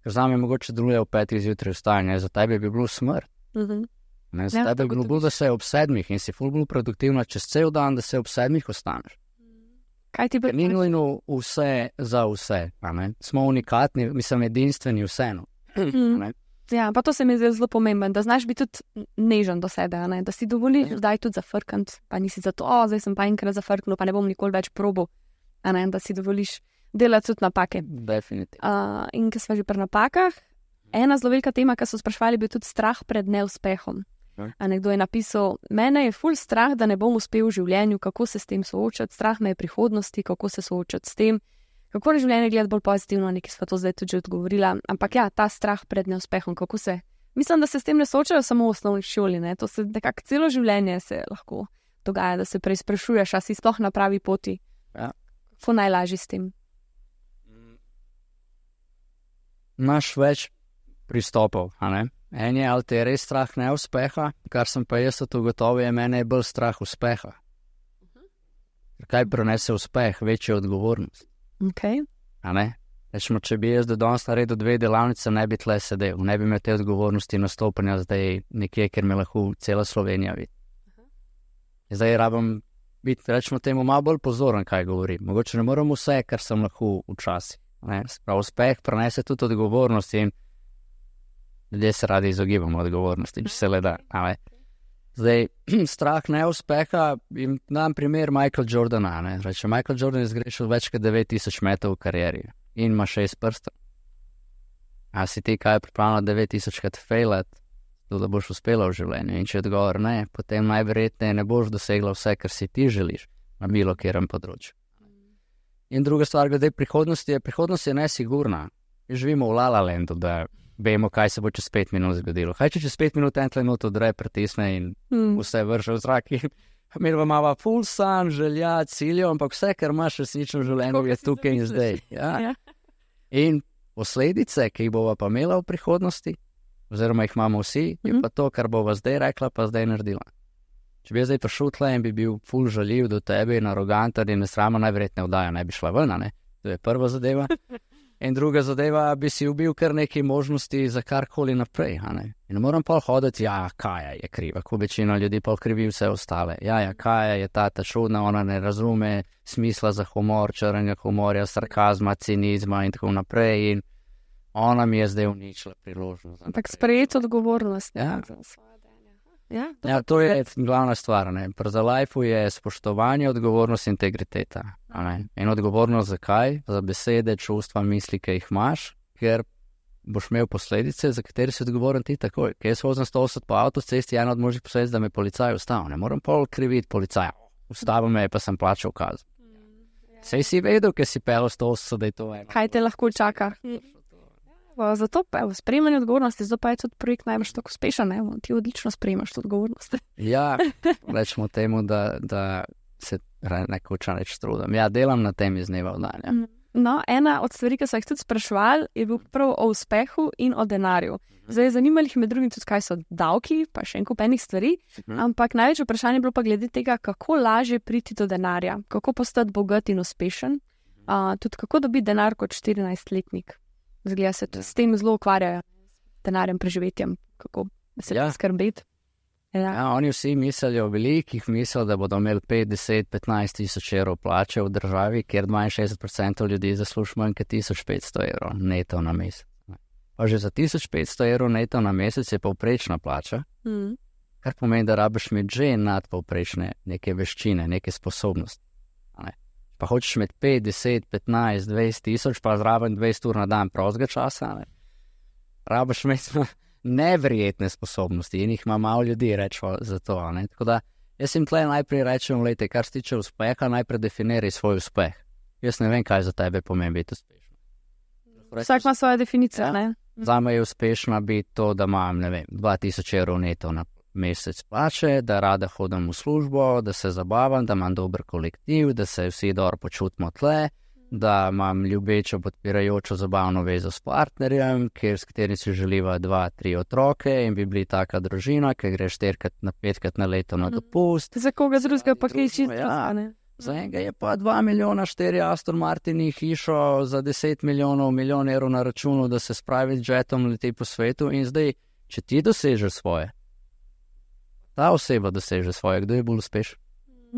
Ker zame mogoče deluje v 5 zjutraj vstajanje, za tebe bi bilo smrt. Za tebe bi bilo, da se ob 7 in si ful bolj produktivna čez cel dan, da se ob 7 ostaneš. Kaj ti bi? Ni nujno vse za vse, smo unikatni, mislim edinstveni vseeno. Ja, pa to se mi zdi zelo pomembno, da znaš biti tudi nežen do sebe, da si dovoliš zdaj tudi zafrkant, pa nisi zato, zdaj sem pa enkrat zafrknil, pa ne bom nikoli več probal, da si dovoliš delati tudi napake. Definitivno. In ko smo že pri napakah, ena zelo velika tema, ki so sprašvali, bil tudi strah pred neuspehom. Nekdo je napisal, mene je ful strah, da ne bom uspel v življenju, kako se s tem soočati, strah me je prihodnosti, kako se soočati s tem, kako je življenje gledati bolj pozitivno, nekaj sva to zdaj tudi že odgovorila, ampak ja, ta strah pred neuspehom, kako se, mislim, da se s tem ne soočajo samo v osnovni šoli, to se nekako celo življenje se lahko dogaja, da se preizprašuješ, a si sploh na pravi poti. Ja. Kako najlažje s tem? Imaš več pristopov, En je, ali te je res strah neuspeha, kar sem pa jaz ugotovil, je mene je bolj strah uspeha. Kaj prenese uspeh? Večja odgovornost. Rečemo, če bi jaz do danes naredil 2 delavnice, ne bi tle sedel, ne bi imel te odgovornosti nastopanja zdaj nekje, ker me lahko cela Slovenija vidi. Zdaj rabim biti, rečemo temu, malo bolj pozoren, kaj govorim. Mogoče ne moram vse, kar sem lahko včasih. Uspeh prenese tudi odgovornost in ljudje se radi izogibamo odgovornosti, če se le da. Zdaj, strah neuspeha, dam primer Michael Jordana. Reče, Michael Jordan je zgrešil več kot 9000 metrov v karieri in ima 6 prstov. A si ti kaj pripravljeno 9000krat failat, da boš uspela v življenju? In če odgovor ne, potem najverjetneje ne boš dosegla vse, kar si ti želiš na bilo kjerem področju. In druga stvar, glede prihodnosti je nesigurna. Živimo v La La Landu, da vemo, kaj se bo čez 5 minut zgodilo. Kaj če čez 5 minut en trenut odre pritisne in vse vrže v zrak? Mi imamo ful san, želja, ciljev, ampak vse, kar imaš resnično v življenju, je tukaj in zdaj. Ja. In posledice, ki jih bova pa imela v prihodnosti, oziroma jih imamo vsi, je pa to, kar bova zdaj rekla, pa zdaj naredila. Če bi jaz zdaj prišel tle in bi bil ful žaljiv do tebe in aroganten in nesramen, najverjetneje vdaja ne bi šla ven, ne? To je prva zadeva. In druga zadeva, bi si ubil kar nekaj možnosti za karkoli naprej, ne? In ne moram pa hoditi, Kaja je kriva, ko večina ljudi pa krivi vse ostale. Kaja je ta čudna, ona ne razume smisla za humor, črnega humorja, sarkazma, cinizma in tako naprej in ona mi je zdaj uničila priložnost. Ampak sprejeti odgovornost. To je glavna stvar. Pri za life je spoštovanje, odgovornost, integriteta. In odgovornost zakaj? Za besede, čustva, misli, ki jih imaš, ker boš imel posledice, za katere si odgovoren ti takoj. Ker jaz vozim 180 po avtocesti, ena od možnih posledic, da me policaj ustavil. Ne moram pol kriviti policaja. Ustavil me je, pa sem plačal kazen. Sej si vedel, ker si pel 180, da je to eno. Kaj te lahko čaka? Zato pa v sprejmanju odgovornosti, zato pa je tudi projekt najbolj tako uspešen, ti odlično sprejmaš to odgovornost. Rečemo temu, da se nekoča reč trudim. Delam na tem iz dneva v dan. No, ena od stvari, ki so jih tudi spraševali, je bil prav o uspehu in o denarju. Zdaj, zanimali jih med drugim tudi, kaj so davki, pa še en kup enih stvari, ampak največ vprašanje je bilo pa glede tega, kako lažje priti do denarja, kako postati bogat in uspešen, tudi kako dobiti denar kot 14-letnik. Zgleda se s tem zelo ukvarjajo, denarjem, preživetjem, kako se skrbeti. Oni vsi mislijo velikih, mislijo, da bodo imeli 5, 10, 15 tisoč evrov plače v državi, kjer 62% ljudi zasluži manj kot 1500 evrov neto na mesec. Pa že za 1500 evrov neto na mesec je povprečna plača, kar pomeni, da rabiš imeti že nadpovprečne neke veščine, neke sposobnosti. Pa hočeš imeti 5, 10, 15, 20 tisoč, pa zraven 20 ur na dan prostega časa, rabiš imeti neverjetne sposobnosti in jih ima malo ljudi, rečemo za to. Tako da jaz jim tle najprej rečem, lejte, kar se tiče uspeha, najprej definiraj svoj uspeh. Jaz ne vem, kaj za tebe pomeni biti uspešen. Vsak ima svojo definicijo, ne? Zame je uspešna biti to, da imam, 2000 evrov neto na mesec plače, da rada hodim v službo, da se zabavam, da imam dober kolektiv, da se vsi dobro počutimo tle, da imam ljubečo, podpirajočo zabavno vezo s partnerjem, s katerim si želiva 2, 3 otroke in bi bili taka družina, ki gre 4 na 5 na leto na dopust. Za koga drugega pa kaj čisto ne? Za enega je pa 2 milijona 4 Aston Martini hišo za 10 milijonov, milijon evrov na računu, da se spravi z jetom leti po svetu in zdaj, če ti dosežeš svoje, ta oseba doseže svoje, kdo je bolj uspešen?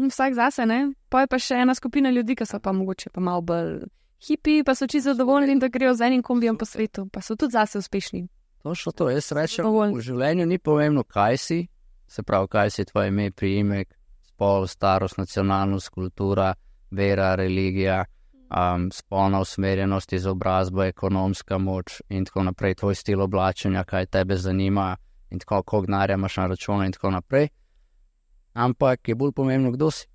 Vsak zase, ne? Pa je pa še ena skupina ljudi, ki so pa mogoče pa malo bolj hipi, pa so čisto zadovoljni, da grejo z enim kombijem po svetu, pa so tudi zase uspešni. Točno to, jaz rečem, v življenju ni pomembno, kaj si, se pravi, kaj si tvoje ime, priimek, spol, starost, nacionalnost, kultura, vera, religija, spolna usmerjenost, izobrazba, ekonomska moč in tako naprej, tvoj stil oblačenja, kaj tebe zanima in tako, koliko denarja imaš na računu in tako naprej. Ampak je bolj pomembno, kdo si.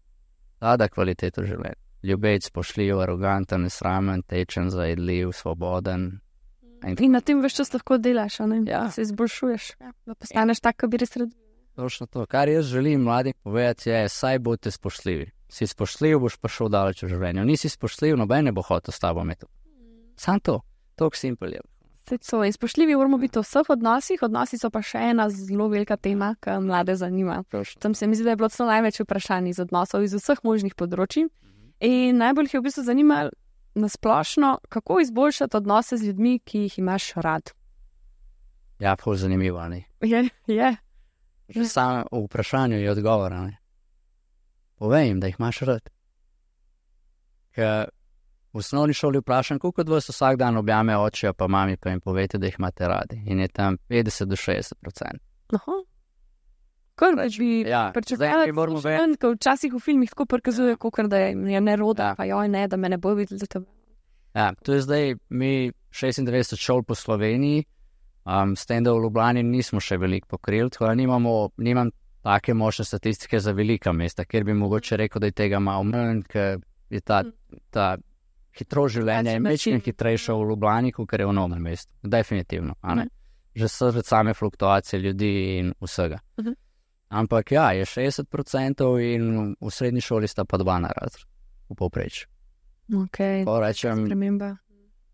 Da kvaliteto življenja. Ljubeč, spoštljiv, aroganten, nesramen, tečen, zajedljiv, svoboden. In na tem veš čas lahko delaš, ne? Se izboljšuješ, da postaneš tak, kot bi res rad. Točno to. Kar jaz želim mladim povedati je, saj boste spoštljivi. Si spoštljiv, boš pa šel daleč v življenju. Nisi spoštljiv, noben ne bo hotel s tabo imeti. Sam to. Toliko simpel je. In spoštljivi moramo biti v vseh odnosih. Odnosi so pa še ena zelo velika tema, ki mlade zanima. Tam se mi zdi, da je bilo celo največ vprašanj iz odnosov iz vseh možnih področij. In najbolj jih je v bistvu zanimalo nasplošno, kako izboljšati odnose z ljudmi, ki jih imaš rad. Ful zanimivo, ne? Je. Že samo v vprašanju je odgovor, ne? Povej jim, da jih imaš rad. Ker v osnovni šoli vprašam, koliko od vas vsak dan objame očija pa mami, pa jim povete, da jih imate radi. In je tam 50 do 60%. Aha. Kar bi pričakovali, ko včasih v filmih tako prikazuje, kakor da je neroda, pa joj ne, da me ne bo videli za tebe. To je zdaj mi 96 šol po Sloveniji, s tem, da v Ljubljani nismo še veliko pokrili, tako da nimam take močne statistike za velika mesta, kjer bi mogoče rekel, da je tega malo manj, ker je ta hitro življenje je večkrat hitrejše v Ljubljani, kot je v novem mestu. Definitivno, že same fluktuacije ljudi in vsega. Ampak je 60% in v srednji šoli sta pa 2 na razred, v povprečju. Rečem,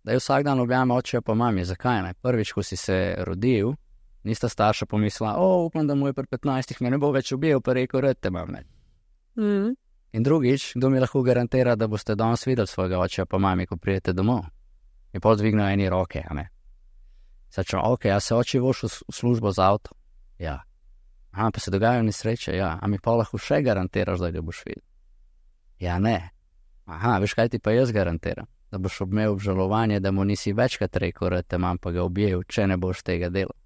da je vsak dan objame očija pa mami. Zakaj ne? Prvič, ko si se rodil, Nista starša pomislila, upam, da moj pri 15 me ne bo več ubil, pa rekel, rad te imam. In drugič, kdo mi lahko garantira, da boste danes videli svojega očeta pa mami, ko pridete domov. In pol dvignejo eni roke, a ne. Začem, a se oči voš v službo z avto? Ja. Aha, pa se dogajajo nesreče, ja. A mi pa lahko še garantiraš, da ga boš videl? Ja, ne. Aha, veš, kaj ti pa jaz garantiram? Da boš imel obžalovanje, da mu nisi večkrat rekel, da te imam pa ga objel, če ne boš tega delal.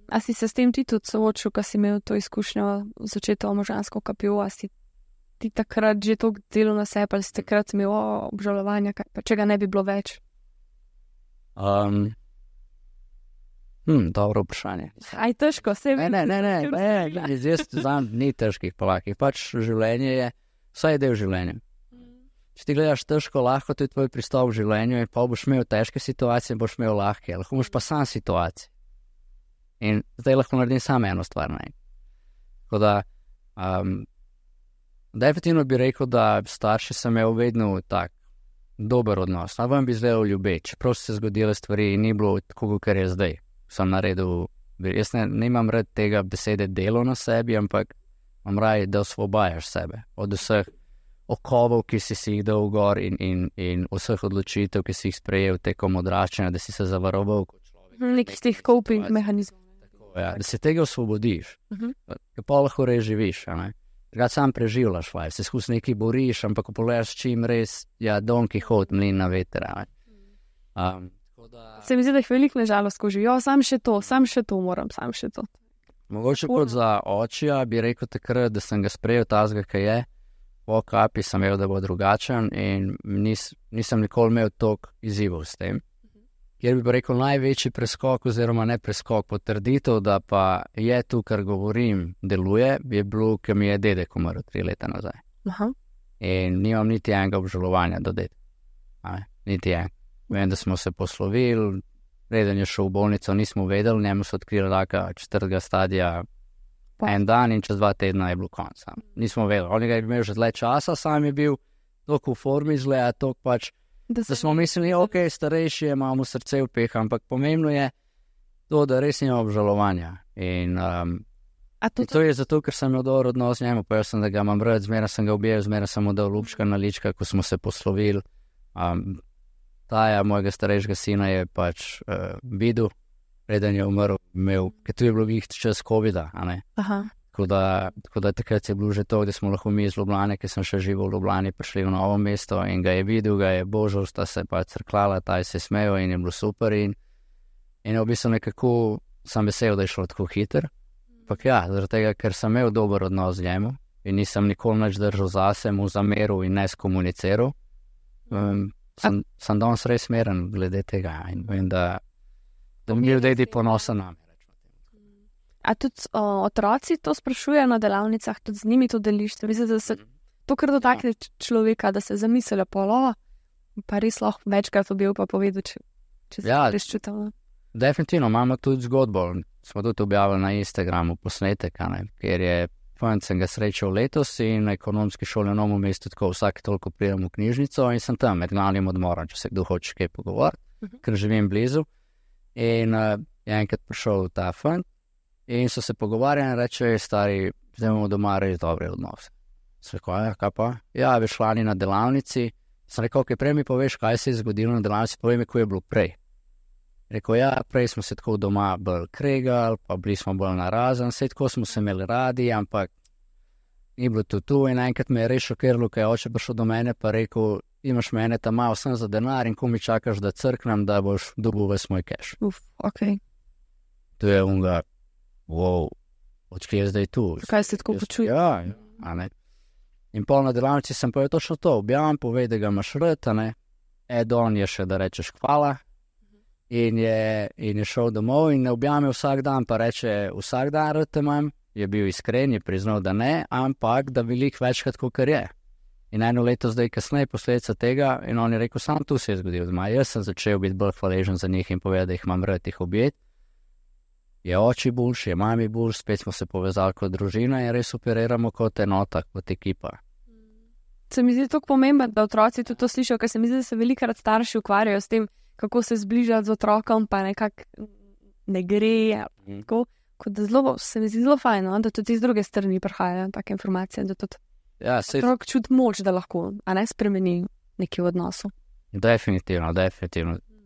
A si se s tem ti tudi soočil, ko si imel to izkušnjo v začetku možgansko kapijo, a si ti takrat že to delal na sebe, ali si takrat imel obžalovanja, pa če ga ne bi bilo več? Dobro vprašanje. Aj težko, se vidi. Ne, jaz znam ni težkih palakih, pač življenje je, vsaj je del življenja. Če ti gledaš težko, lahko to je tvoj pristop v življenju in pa boš imel težke situacije in boš imel lahke, lahko imaš pa sam situacije. In zdaj lahko naredim samo eno stvar, ne. Tako da, definitivno bi rekel, da starši sem imel vedno tak dober odnos. Na vam bi zdaj ljubeč, čeprav so se zgodile stvari in ni bilo tako, kar je zdaj. Sem naredil, jaz ne imam rad tega besede delo na sebi, ampak imam raj, da osvobajaš sebe od vseh okovov, ki si jih dal gor in vseh odločitev, ki si jih sprejel tekom odraščanja, da si se zavaroval kot človek. Nekih teh coping mehanizmov. Ja, da se tega osvobodiš, pa lahko res živiš, ne. Takrat sam preživljaš, se skus nekaj boriš, ampak ko pogledaš čim res, Don Kihot, mlin na veter, ne. Se mi zdi, da jih veliko nežalost, ko živijo, sam še to moram. Mogoče kot za očija bi rekel takrat, da sem ga sprejel tazga, kaj je, po kapi sem imel, da bo drugačen in nisem nikoli imel toliko izzivov s tem. Kjer bi rekel največji preskok oziroma ne preskok, potrditev, da pa je tu, kar govorim, deluje, je bilo, ker mi je dedek umrl 3 leta nazaj. Aha. In nimam niti enega obžalovanja do dedka. Niti en. Vem, da smo se poslovili, preden je šel v bolnico, nismo vedeli, njemu so odkrili raka 4. stadija en dan in čez 2 tedna je bilo konc. Nismo vedeli, on je imel že dlje časa, sam je bil toliko v formi zle, toliko pač, da smo mislili, starejši je, imamo srce v peh, ampak pomembno je to, da res nima obžalovanja. In to je zato, ker sem imel dober odnos z njemu, pa jaz sem, da ga imam rad, zmeraj sem ga objel, zmeraj sem mu dal lupčka na lička, ko smo se poslovili. Taja, mojega starejšega sina, je pač videl, preden je umrl, ker tu je bilo vih čas COVID-a, a ne? Aha. Tako da takrat je bilo že to, da smo lahko mi iz Ljubljane, ker sem še živel v Ljubljani, prišli v novo mesto in ga je videl, ga je božal, sta se pa crklala, taj se je smejal in je bilo super in v bistvu nekako sem vesel, da je šlo tako hiter. Ampak ja, zaradi tega, ker sem imel dober odnos z njemu in nisem nikoli nič držal zase, mu zameril in ne skomuniciral, sem danes res smeren glede tega in vem, da mi je dedi ponosen nami. A tudi otroci to sprašujejo na delavnicah, tudi z njimi to deliš? Mislim, da se to kar dotakne človeka, da se zamislijo pa res lahko večkrat objel pa povedal, če se res čutil. Definitivno, imamo tudi zgodbo, smo tudi objavili na Instagramu posnetek, ker je sem ga srečal letos in na ekonomski šoli na Novem mestu, tako vsak toliko pridem v knjižnico in sem tam med glavnim odmorom, če se kdo hoče kaj pogovoriti, ker živim blizu. In je enkrat prišel ta fant in so se pogovarjali in reče, stari, zdaj imamo doma res dobre odnose. Sem rekel, kaj pa? Ja, bi šlani na delavnici. Sem rekel, prej mi poveš, kaj se je zgodilo na delavnici, povej mi, ko je bilo prej. Rekel, ja, prej smo se tako doma bolj kregali, pa bili smo bolj narazen, vse tako smo se imeli radi, ampak ni bilo tu in enkrat me je res šokiralo, ko je oče prišel do mene pa rekel, imaš mene tam malo sem za denar in ko mi čakaš, da crknem, da boš dobil ves moj keš. To je unga, wow, odkje je zdaj tu? Kaj se tako počuje? Ja, a ne. In pol na delavnici sem povedal točno to, objavim, povej, da ga imaš rad, a ne. Don je še, da rečeš hvala. In je šel domov in ne objame vsak dan, pa reče, vsak dan rad te imam, je bil iskren, je priznal, da ne, ampak da veliko večkrat, kakor je. In 1 leto zdaj kasneje posledica tega in on je rekel, sam tu se je zgodil doma. Jaz sem začel biti bolj hvaležen za njih in povedal, da jih imam rad, jih objeti. Je oči boljši, je mami boljši, spet smo se povezali kot družina in res operiramo kot enota, kot ekipa. Se mi zdi tako pomembno, da otroci tudi to slišijo, ker se mi zdi, da se velikokrat starši ukvarjajo s tem, kako se zbližati z otrokom, pa nekako ne gre. Tako, kot da se mi zdi zelo fajn, no? Da tudi iz druge strani prihajajo take informacije, da tudi otrok čuti moč, da lahko, a ne spremeni nekaj v odnosu. Definitivno.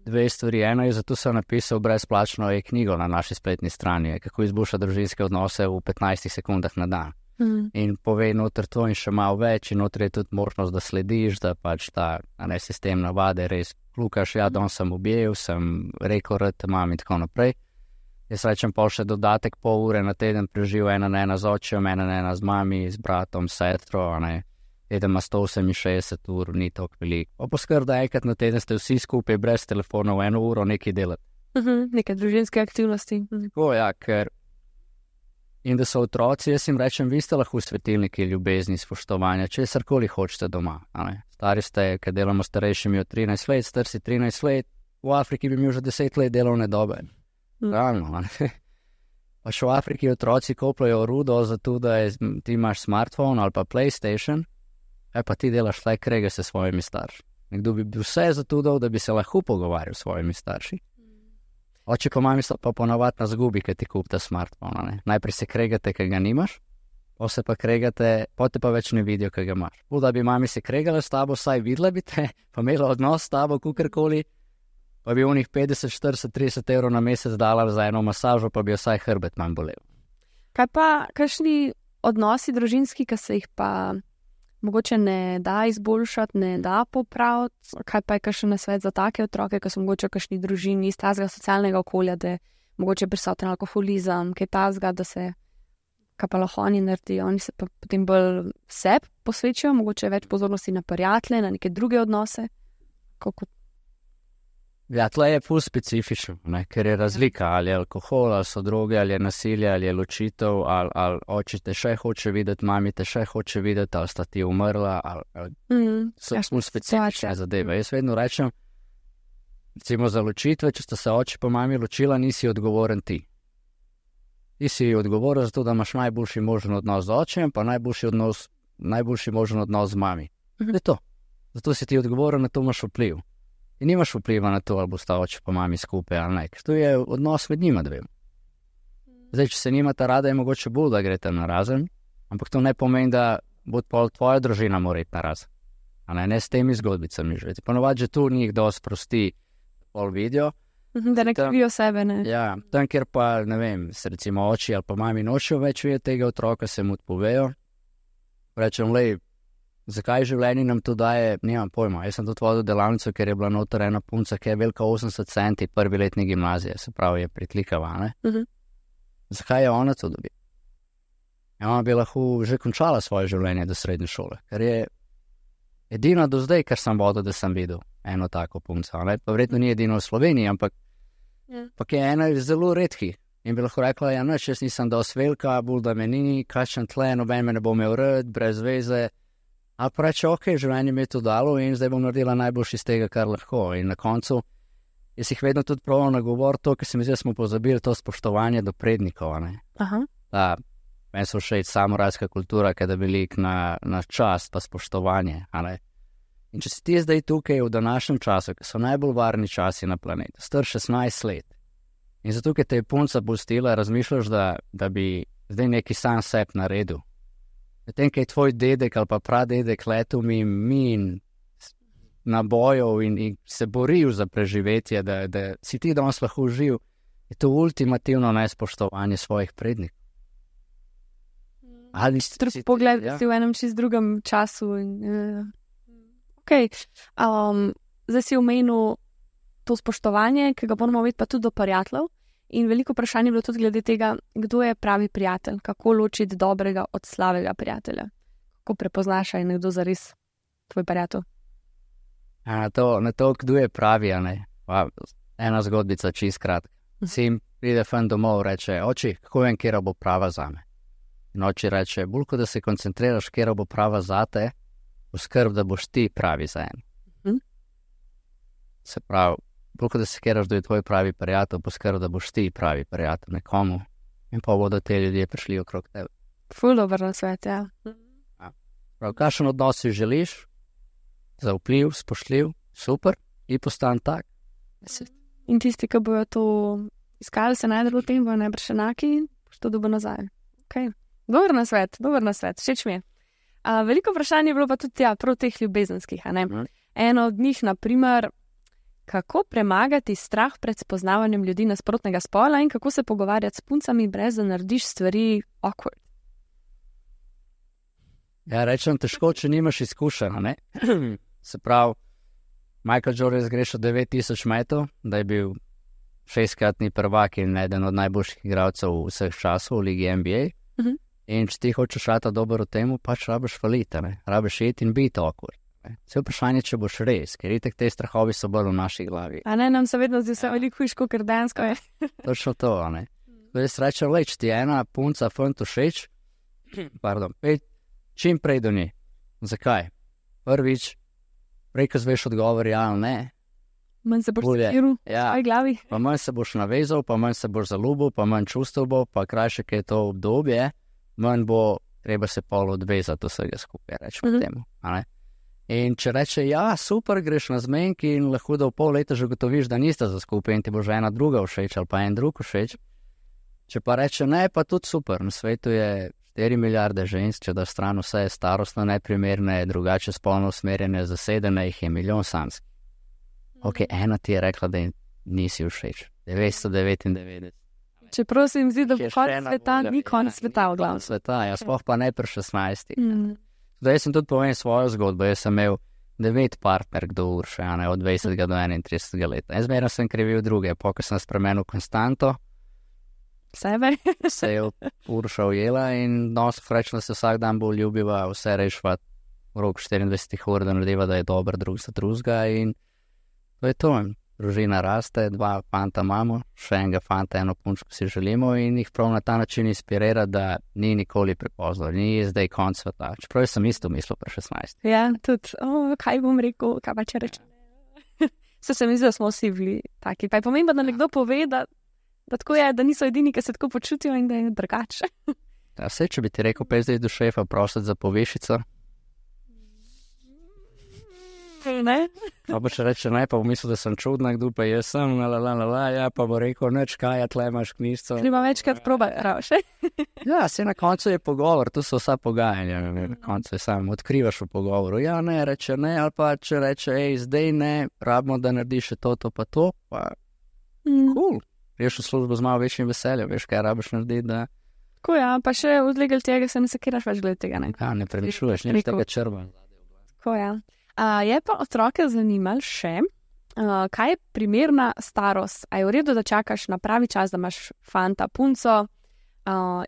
Dve stvari. Eno je, zato sem napisal brezplačno e-knjigo na naši spletni strani, kako izboljšati družinske odnose v 15 sekundah na dan. In povej noter to in še malo več, in noter je tudi možnost, da slediš, da pač ta sistem navade res klukaš, danes sem objel, sem rekel, da imam in tako naprej. Jaz rečem pa še dodatek pol ure na teden preživel, ena na ena z očem, ena na ena z mami, z bratom, sestro, teden ima 168 ur, ni toliko veliko. Poskrb, da enkrat na teden ste vsi skupaj brez telefonov 1 uro nekaj delati. Neke družinske aktivnosti. Tako, ker in da so otroci, jaz jim rečem, vi ste lahko svetilniki ljubezni, spoštovanja, česarkoli hočete doma. Stari ste, ker delamo starejšimi od 13 let, star si 13 let, v Afriki bi imel že 10 let delovne dobe. Realno, Pa še v Afriki otroci kopljajo rudo zato, da ti imaš smartphone ali pa PlayStation, pa ti delaš le krege se svojimi starši. Nekdo bi bil vse zato dal, da bi se lahko pogovarjal s svojimi starši. Oče pa mami so pa ponavadi na zgubi, ker ti kupite smartphone. Najprej se kregate, ker ga nimaš, pa se pa kregate, potem pa več ne vidijo, ker ga imaš. Da bi mami se kregala s tabo, saj videla bi te, pa imela odnos s tabo, kukorkoli, pa bi onih 50, 40, 30 evrov na mesec dala za eno masažo, pa bi jo vsaj hrbet manj bolel. Kaj pa, kakšni odnosi družinski, ki se jih pa mogoče ne da izboljšati, ne da popraviti? Kaj pa je kakšen nasvet za take otroke, ki so mogoče v kakšni družini iz tazga socialnega okolja, da je mogoče prisoten alkoholizem, kaj tazga, da se, kaj pa lahko oni naredijo, oni se pa potem bolj sebi posvečajo, mogoče več pozornosti na prijatelje, na neke druge odnose? Tle je ful specifično, ker je razlika, ali je alkohol, ali so droge, ali je nasilje, ali je ločitev, ali oče te še hoče videti, mami te še hoče videti, ali sta ti umrla, ali so ful specifične zadeve. Jaz vedno rečem, recimo za ločitve, če sta se oče pa mami ločila, nisi odgovoren ti. Ti si odgovoren za to, da imaš najboljši možen odnos z očem, pa najboljši možen odnos z mami. Je to. Zato si ti odgovoren, na to imaš vpliv. In nimaš vpliva na to, ali bosta oče pa mami skupaj ali ne. To je odnos med njima dvema. Zdaj, če se nimata rada, je mogoče bolj, da greste na razen, ampak to ne pomeni, da bo tvoja družina mora iti na razen. Ne s temi zgodbicami živeti. Ponovadi že tu njih dosti prosti pol vidijo. Da ne krivijo sebe, ne? Ja, tam, kjer pa, ne vem, se recimo oči ali pa mami nočejo več videti tega otroka, se mu odpovejo. Rečem, zakaj življenje nam to daje, nimam pojma. Jaz sem tudi vodil delavnico, ker je bila noter ena punca, ki je velika 80 centi, prvi letni gimnazije, se pravi, je pritlikava, ne? Zakaj je ona to dobila? Ona bi lahko že končala svoje življenje do srednje šole, ker je edina do zdaj, kar sem vodil, da sem videl eno tako punco, ne? Pa verjetno ni edino v Sloveniji, ampak je ena zelo redki. In bi lahko rekla, jaz nisem dosti velika, bolj da me ni, kakšen tle, noben me ne bo imel rad, brez veze. A pa reče, življenje mi je to dalo in zdaj bom naredila najboljši iz tega, kar lahko. In na koncu, jaz jih vedno tudi probam nagovoriti to, ker se mi zdi, da smo pozabili to spoštovanje do prednikov, ne? Meni so všeč samurajska kultura, kada bi lik na čast pa spoštovanje, ne? In če si ti zdaj tukaj v današnjem času, ki so najbolj varni časi na planetu, star 16 let, in zato, ker te je punca pustila, razmišljaš, da bi zdaj neki sam sebi naredil. Medtem, kaj je tvoj dedek ali pa pradedek letel min nabojov in se boril za preživetje, da si ti danes lahko živ, je to ultimativno nespoštovanje svojih prednikov. Pogled si v enem čist drugem času. Zdaj si omenil to spoštovanje, ki ga moramo imeti pa tudi do prijateljev. In veliko vprašanje je bilo tudi glede tega, kdo je pravi prijatelj, kako ločiti dobrega od slabega prijatelja. Kako prepoznaš, je nekdo zares tvoj prijatelj? Na to, kdo je pravi, ena zgodbica čist kratka. Sin pride fan domov, reče, oči, kako vem, kjera bo prava zame. In oči reče, bolj kot da se koncentriraš, kjera bo prava zate, poskrb, da boš ti pravi za en. Se pravi, bolj kot da se kjeraš, da je tvoj pravi prijatelj, poskrb, da boš ti pravi prijatelj nekomu in pa bodo te ljudje prišli okrog tebe. Ful dober nasvet, ja. Prav, kakšen odnos si želiš, zaupljiv, spoštljiv, super, in postan tak. In tisti, ki bojo to iskali se najdelo v tem, bo najbrž enaki, boš to dobil nazaj. Okay. Dober na svet, všeč mi je. Veliko vprašanj je bilo pa tudi prav teh ljubezenskih, a ne? Eno od njih, naprimer, kako premagati strah pred spoznavanjem ljudi nasprotnega spola in kako se pogovarjati s puncami, brez da narediš stvari awkward. Ja, rečem težko, če nimaš izkušenj, ne? Se pravi, Michael Jordan zgrešil 9000 metov, da je bil 6-kratni prvak in eden od najboljših igralcev vseh časov v ligi NBA. In če ti hočeš rata dobro v temu, pač rabiš faliti, ne? Rabiš iti in biti awkward. Vse vprašanje, če boš res, ker itek te strahovi so bolj v naši glavi. A ne, nam se vedno zdi vse veliko hujško, ker dejansko je. Točno to, a ne. Jaz rečem, če ti je ena punca fant všeč, čim prej do nje. Zakaj? Prvič, prej, ko zveš odgovor, ja ali ne. Manj se boš sekiral v svoji glavi. Pa manj se boš navezal, pa manj se boš zaljubil, pa manj čustev bo, pa krajše, kaj je to obdobje, manj bo treba se pol odvezati vsega skupaj, rečemo temu, a ne. In če reče, ja, super, greš na zmenki in lahko da v pol leta že gotoviš, da nista za skupaj in ti bo že ena druga všeč ali pa en drug všeč. Če pa reče, ne, pa tudi super, na svetu je 4 milijarde žensk, če da stran vse je starostno neprimerne, drugače spolno usmerjene, zasedene, jih je milijon samskih. Ok, ena ti je rekla, da nisi všeč. 999. Čeprav se jim zdi, da bo konec sveta, ni konec sveta v glavu. Sveta, ja, sploh pa ne pri 16. Zdaj sem tudi povedal svojo zgodbo, jaz sem imel 9 partnerk do Urše, a ne, od 20 do 31 leta. Jaz zmerno sem krivil druge, ko sem spremenil konstanto, sebe se je Urša ujela in rečeno se vsak dan bo ljubiva, vse rešva v rok 24 ur, da narediva, da je dober drug za drugega in to je to. Družina raste, 2 fanta imamo, še enega fanta, eno punčko si želimo in jih prav na ta način inspirira, da ni nikoli prepozno, ni zdaj konc sveta. Čeprav sem isto mislil pri 16. Ja, tudi, kaj bom rekel, kaj pa če rečem. Se mi zdi, da smo vsi bili taki. Pa je pomembno, da nekdo pove, da tako je, da niso edini, ki se tako počutijo in da je drugače. Ja, vse, če bi ti rekel, pa zdaj do šefa prositi za povišico. Ne? Pa če reče ne, pa bom mislil, da sem čudna, kdo pa jaz sem, ja, pa bo rekel, neč kaj, tle imaš knjižco. Treba večkrat probati, ravše. Ja, se na koncu je pogovor, tu so vsa pogajanja, na koncu je sam, odkrivaš v pogovoru, ja, ne, reče ne, ali pa če reče, zdaj ne, rabimo, da narediš to, pa to, pa cool. Veš v službo z malo večjim veseljem, veš, kaj rabiš narediti, da... Tako ja, pa še odlegel tega se ne sekiraš več glede tega, ne? Ja, ne premišljuješ, nič tega črva. Tako ja. Je pa otroke zanimalo še, kaj je primerna starost? A je v redu, da čakaš na pravi čas, da imaš fanta, punco?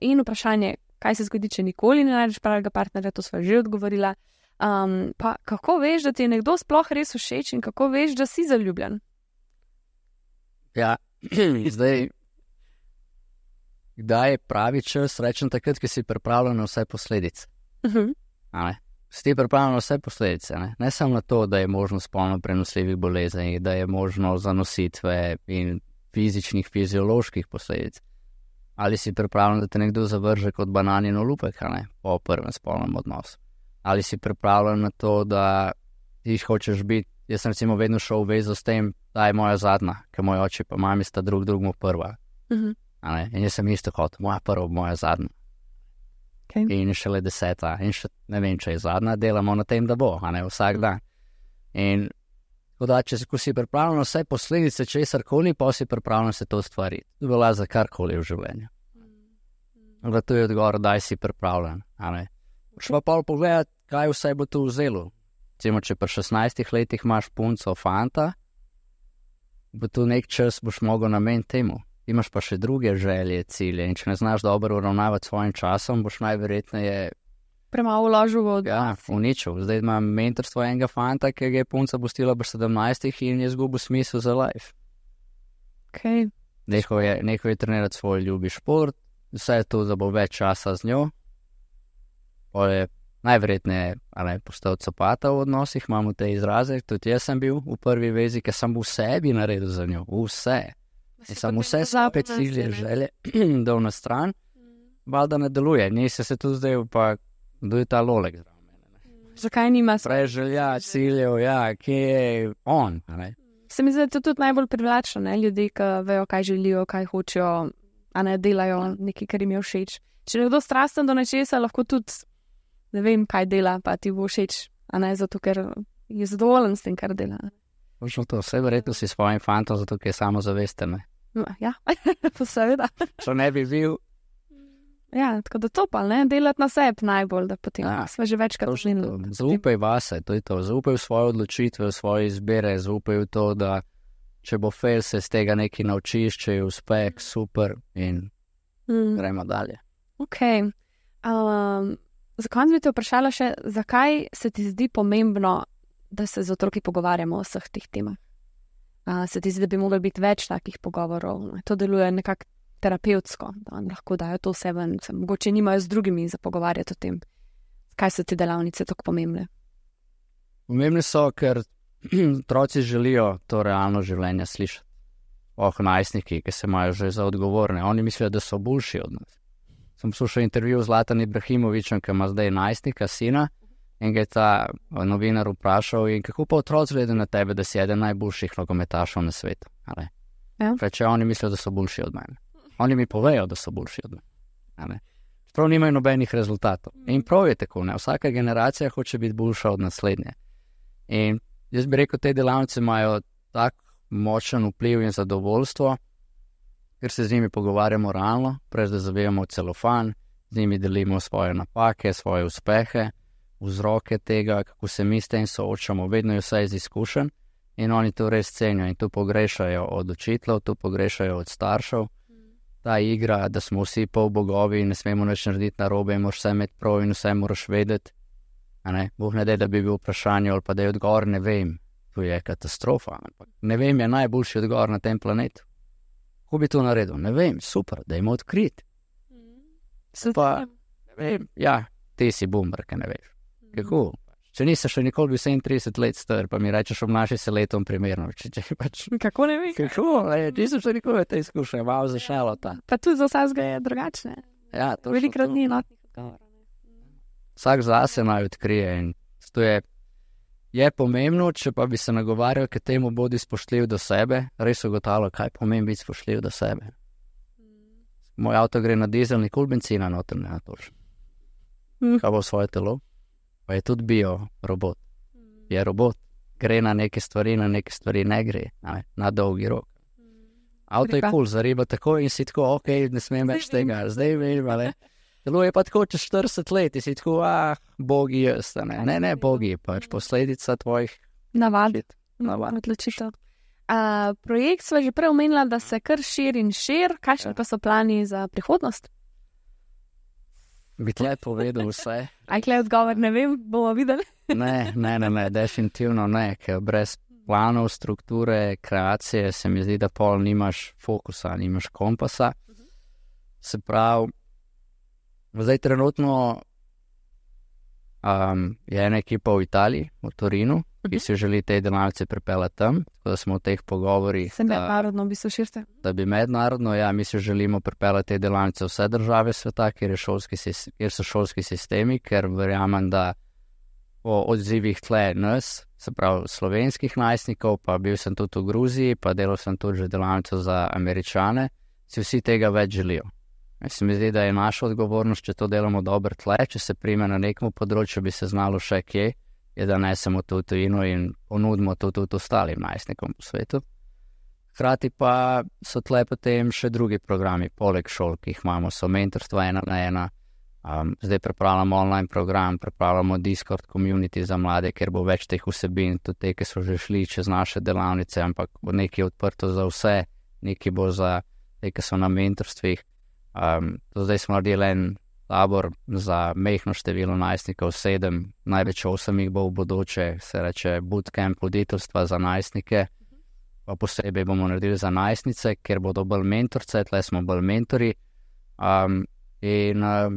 In vprašanje, kaj se zgodi, če nikoli ne najdeš pravega partnerja, to sva že odgovorila. Pa kako veš, da ti je nekdo sploh res všeč in kako veš, da si zaljubljen? Ja, zdaj, kdaj je pravi čas, rečem takrat, ki si pripravljen na vse posledice. Si ti pripravljen na vse posledice, ne samo na to, da je možno spolno prenosljivih bolezni, da je možno zanositve in fizičnih, fizioloških posledic. Ali si pripravljen, da te nekdo zavrže kot bananin olupek, ne, po prvem spolnem odnosu. Ali si pripravljen na to, da ti hočeš biti, jaz sem recimo vedno šel v vezo s tem, da je moja zadnja, ker moj oče pa mami sta drugmu prva. In jaz sem isto hotel, moja prva, moja zadnja. Okay. In šele 10. In še ne vem, če je zadnja, delamo na tem, da bo, a ne vsak dan. In da, ko si pripravljen na vse posledice česarkoli, pa si pripravljen se to stvariti. To velja za karkoli v življenju. Da to je odgovor, daj si pripravljen, a ne. Šla pa pogledati, kaj vse bo tu vzelo. Recimo, če pri 16 letih imaš punco, fanta, bo tu nek čas boš mogel nameniti temu. Imaš pa še druge želje, cilje in če ne znaš dobro uravnavati svojim časom, boš najverjetneje premalo vložil v odnos. Ja, uničil. Zdaj imam mentorstvo enega fanta, ki ga je punca pustila pri 17 in je izgubil smisel za life. Okay. Nehal je trenirati svoj ljubi šport, vse je to, da bo več časa z njo. Najverjetneje postal copata v odnosih, imamo te izraze, tudi jaz sem bil v prvi vezi, ker sem v sebi naredil za njo, vse. In sem vse spet cilje želje, da v na stran, valjda ne deluje. Nisi se tu zdaj, pa kdo je ta lolek zraven mene. Zakaj nima preželja, ciljev, ja, kje je on, ne? Se mi zdi, da je to tudi najbolj privlačno, ne? Ljudi, ki vejo, kaj želijo, kaj hočejo, a ne delajo nekaj, kar jim je všeč. Če je nekdo strasten do nečesa, lahko tudi ne vem, kaj dela, pa ti bo všeč, a ne zato, ker je zadovoljen s tem, kar dela. Točno to, vse verjetno si svojim fantom, zato ker je samozavesten. Ja, seveda. Če ne bi bil. Ja, tako da to pa, ne, delati na sebi najbolj, da potem smo že večkrat užili. Zaupaj vase, to je to, zaupaj v svoje odločitve, v svoje izbire, zaupaj v to, da če bo fail, se z tega nekaj naučiš, če je uspeh, super in gremo dalje. Ok. Za konec bi te vprašala še, zakaj se ti zdi pomembno, da se z otroki pogovarjamo o vseh teh temah? Se ti zdi, da bi moglo biti več takih pogovorov? To deluje nekako terapevtsko, da vam lahko dajo to vse ven, mogoče nimajo z drugimi za pogovarjati o tem. Kaj so te delavnice tako pomembne? Pomembne so, ker otroci želijo to realno življenje slišati. Najstniki, ki se imajo že za odgovorne, oni mislijo, da so boljši od nas. Sem poslušal intervju z Zlatanom Ibrahimovićem, ki ima zdaj najstnika, sina, in ga je ta novinar vprašal, in kako pa otroci gledajo na tebe, da si eden najboljših nogometašov na svetu. Ja. Reče, oni mislijo, da so boljši od mene. Oni mi povejo, da so boljši od mene. Prav nimajo nobenih rezultatov. In prav je tako, ne? Vsaka generacija hoče biti boljša od naslednje. In jaz bi rekel, te delavnice imajo tak močen vpliv in zadovoljstvo, ker se z njimi pogovarjamo realno, prej da zavijamo celofan, z njimi delimo svoje napake, svoje uspehe, vzroke tega, kako se mi s tem soočamo, vedno je vse iz izkušenj in oni to res cenijo in to pogrešajo od učiteljev, to pogrešajo od staršev. Ta igra, da smo vsi pol bogovi in ne smemo nič narediti narobe in moraš vse imeti prav in vse moraš vedeti. Bog ne daj, da bi bil vprašanje ali pa da je odgovor, ne vem, to je katastrofa. Ne vem, je najboljši odgovor na tem planetu. Kako bi to naredil? Ne vem, super, da ima odkrit. Pa, ne vem, ja, ti si boomer, ki ne veš. Kako? Če nisi še nikoli bil 37 let star, pa mi rečeš, obnaši se letom primerno. Kako ne veš? Kako? Nisem še nikoli te izkušnje, malo zašalo ta. Pa tudi za vsega je drugačne. Ja, to velikrat ni enotnih odgovorov. Vsak zase naj odkrije in to je pomembno, če pa bi se nagovarjal, k temu bodi spoštljiv do sebe, res ugotavljal, kaj pomeni biti spoštljiv do sebe. Moj avto gre na dizel, nikoli benzina noter ne natočim. Kaj bo svoje telo? Pa je tudi bio robot. Je robot. Gre na neke stvari ne gre. Na dolgi rok. Avto je cool, zariba tako in si tako, ok, ne smem več tega. Zdaj vem, ali. Telo je pa tako čez 40 let in si tako, bogi jaz. Ne bogi, pač posledica tvojih navad. Odločitev. Projekt sva že prej omenila, da se kar širi in širi. Kakšni pa so plani za prihodnost? Bi tle povedal vse. Ajkle odgovor, ne vem, bomo videli. Ne, definitivno ne, ker brez planov, strukture, kreacije se mi zdi, da pol nimaš fokusa, nimaš kompasa. Se pravi, zdaj trenutno je ena ekipa v Italiji, v Torinu, ki si želi te delavnice pripeljati tam, tako da smo v teh pogovorih. Se mednarodno v bistvu širite? Da bi mednarodno, ja, mi si želimo pripeljati te delavnice vse države sveta, kjer so šolski sistemi, ker verjamem, da po odzivih tle nas, se pravi slovenskih najstnikov, pa bil sem tudi v Gruziji, pa delal sem tudi že delavnico za Američane, si vsi tega več želijo. Se mi zdi, da je naša odgovornost, če to delamo dobro tle, če se prime na nekem področju, bi se znalo še kje, je da nesemo to v tujino in ponudimo to tudi ostalim najstnikom po svetu. Hkrati pa so tle potem še drugi programi, poleg šol, ki jih imamo, so mentorstva 1-na-1. Zdaj pripravljamo online program, pripravljamo Discord community za mlade, ker bo več teh vsebin, tudi te, ki so že šli čez naše delavnice, ampak bo nekaj odprto za vse, nekaj bo za te, ki so na mentorstvih. Zdaj smo naredili en tabor za mehno število najstnikov, 7, največ 8 jih bo v bodoče, se reče bootcamp voditeljstva za najstnike, pa posebej bomo naredili za najstnice, ker bodo bolj mentorce, tle smo bolj mentori.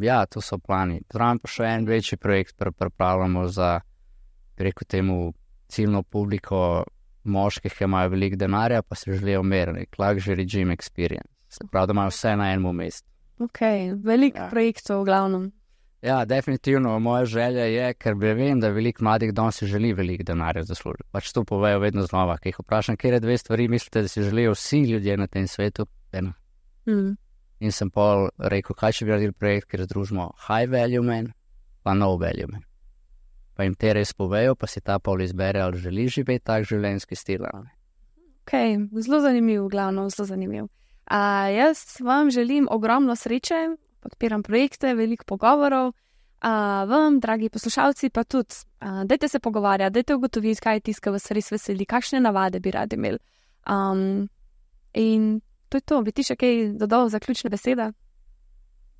Ja, to so plani. Zraven pa še en večji projekt pripravljamo za, preko temu ciljno publiko moških, ki imajo veliko denarja, pa se želijo meriti, luxury gym experience. Se pravi, da imajo vse na enem mestu. Ok, veliko projektov v glavnem. Ja, definitivno moja želja je, ker vem, da veliko mladih danes si želi veliko denarja zaslužiti. Pač to povejo vedno znova, ki jih vprašam, kje je 2 stvari, mislite, da si želijo vsi ljudje na tem svetu? In sem pol rekel, kaj če bi naredili projekt, kjer združimo high value man, pa no value man. Pa jim te res povejo, pa si ta pol izbere, ali želi živeti tak življenjski stil. Ok, zelo zanimiv, glavno, zelo zanimiv. Jaz vam želim ogromno sreče, podpiram projekte, veliko pogovorov. Vam, dragi poslušalci, pa tudi, dajte se pogovarjati, dajte ugotoviti, kaj je tisto, kar vas res veseli, kakšne navade bi radi imeli. In to je to, bi ti še kaj dodal zaključne besede?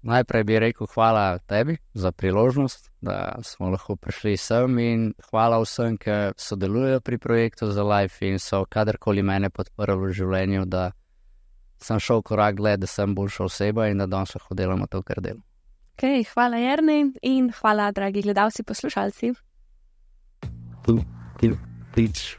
Najprej bi rekel hvala tebi za priložnost, da smo lahko prišli sem, in hvala vsem, ki sodelujejo pri projektu za Life in so kadarkoli mene podprli v življenju, da sem šel korak dlje, da sem boljša oseba in da danes lahko delamo to, kar delam. Ok, hvala Jernej in hvala, dragi gledalci, poslušalci. Please,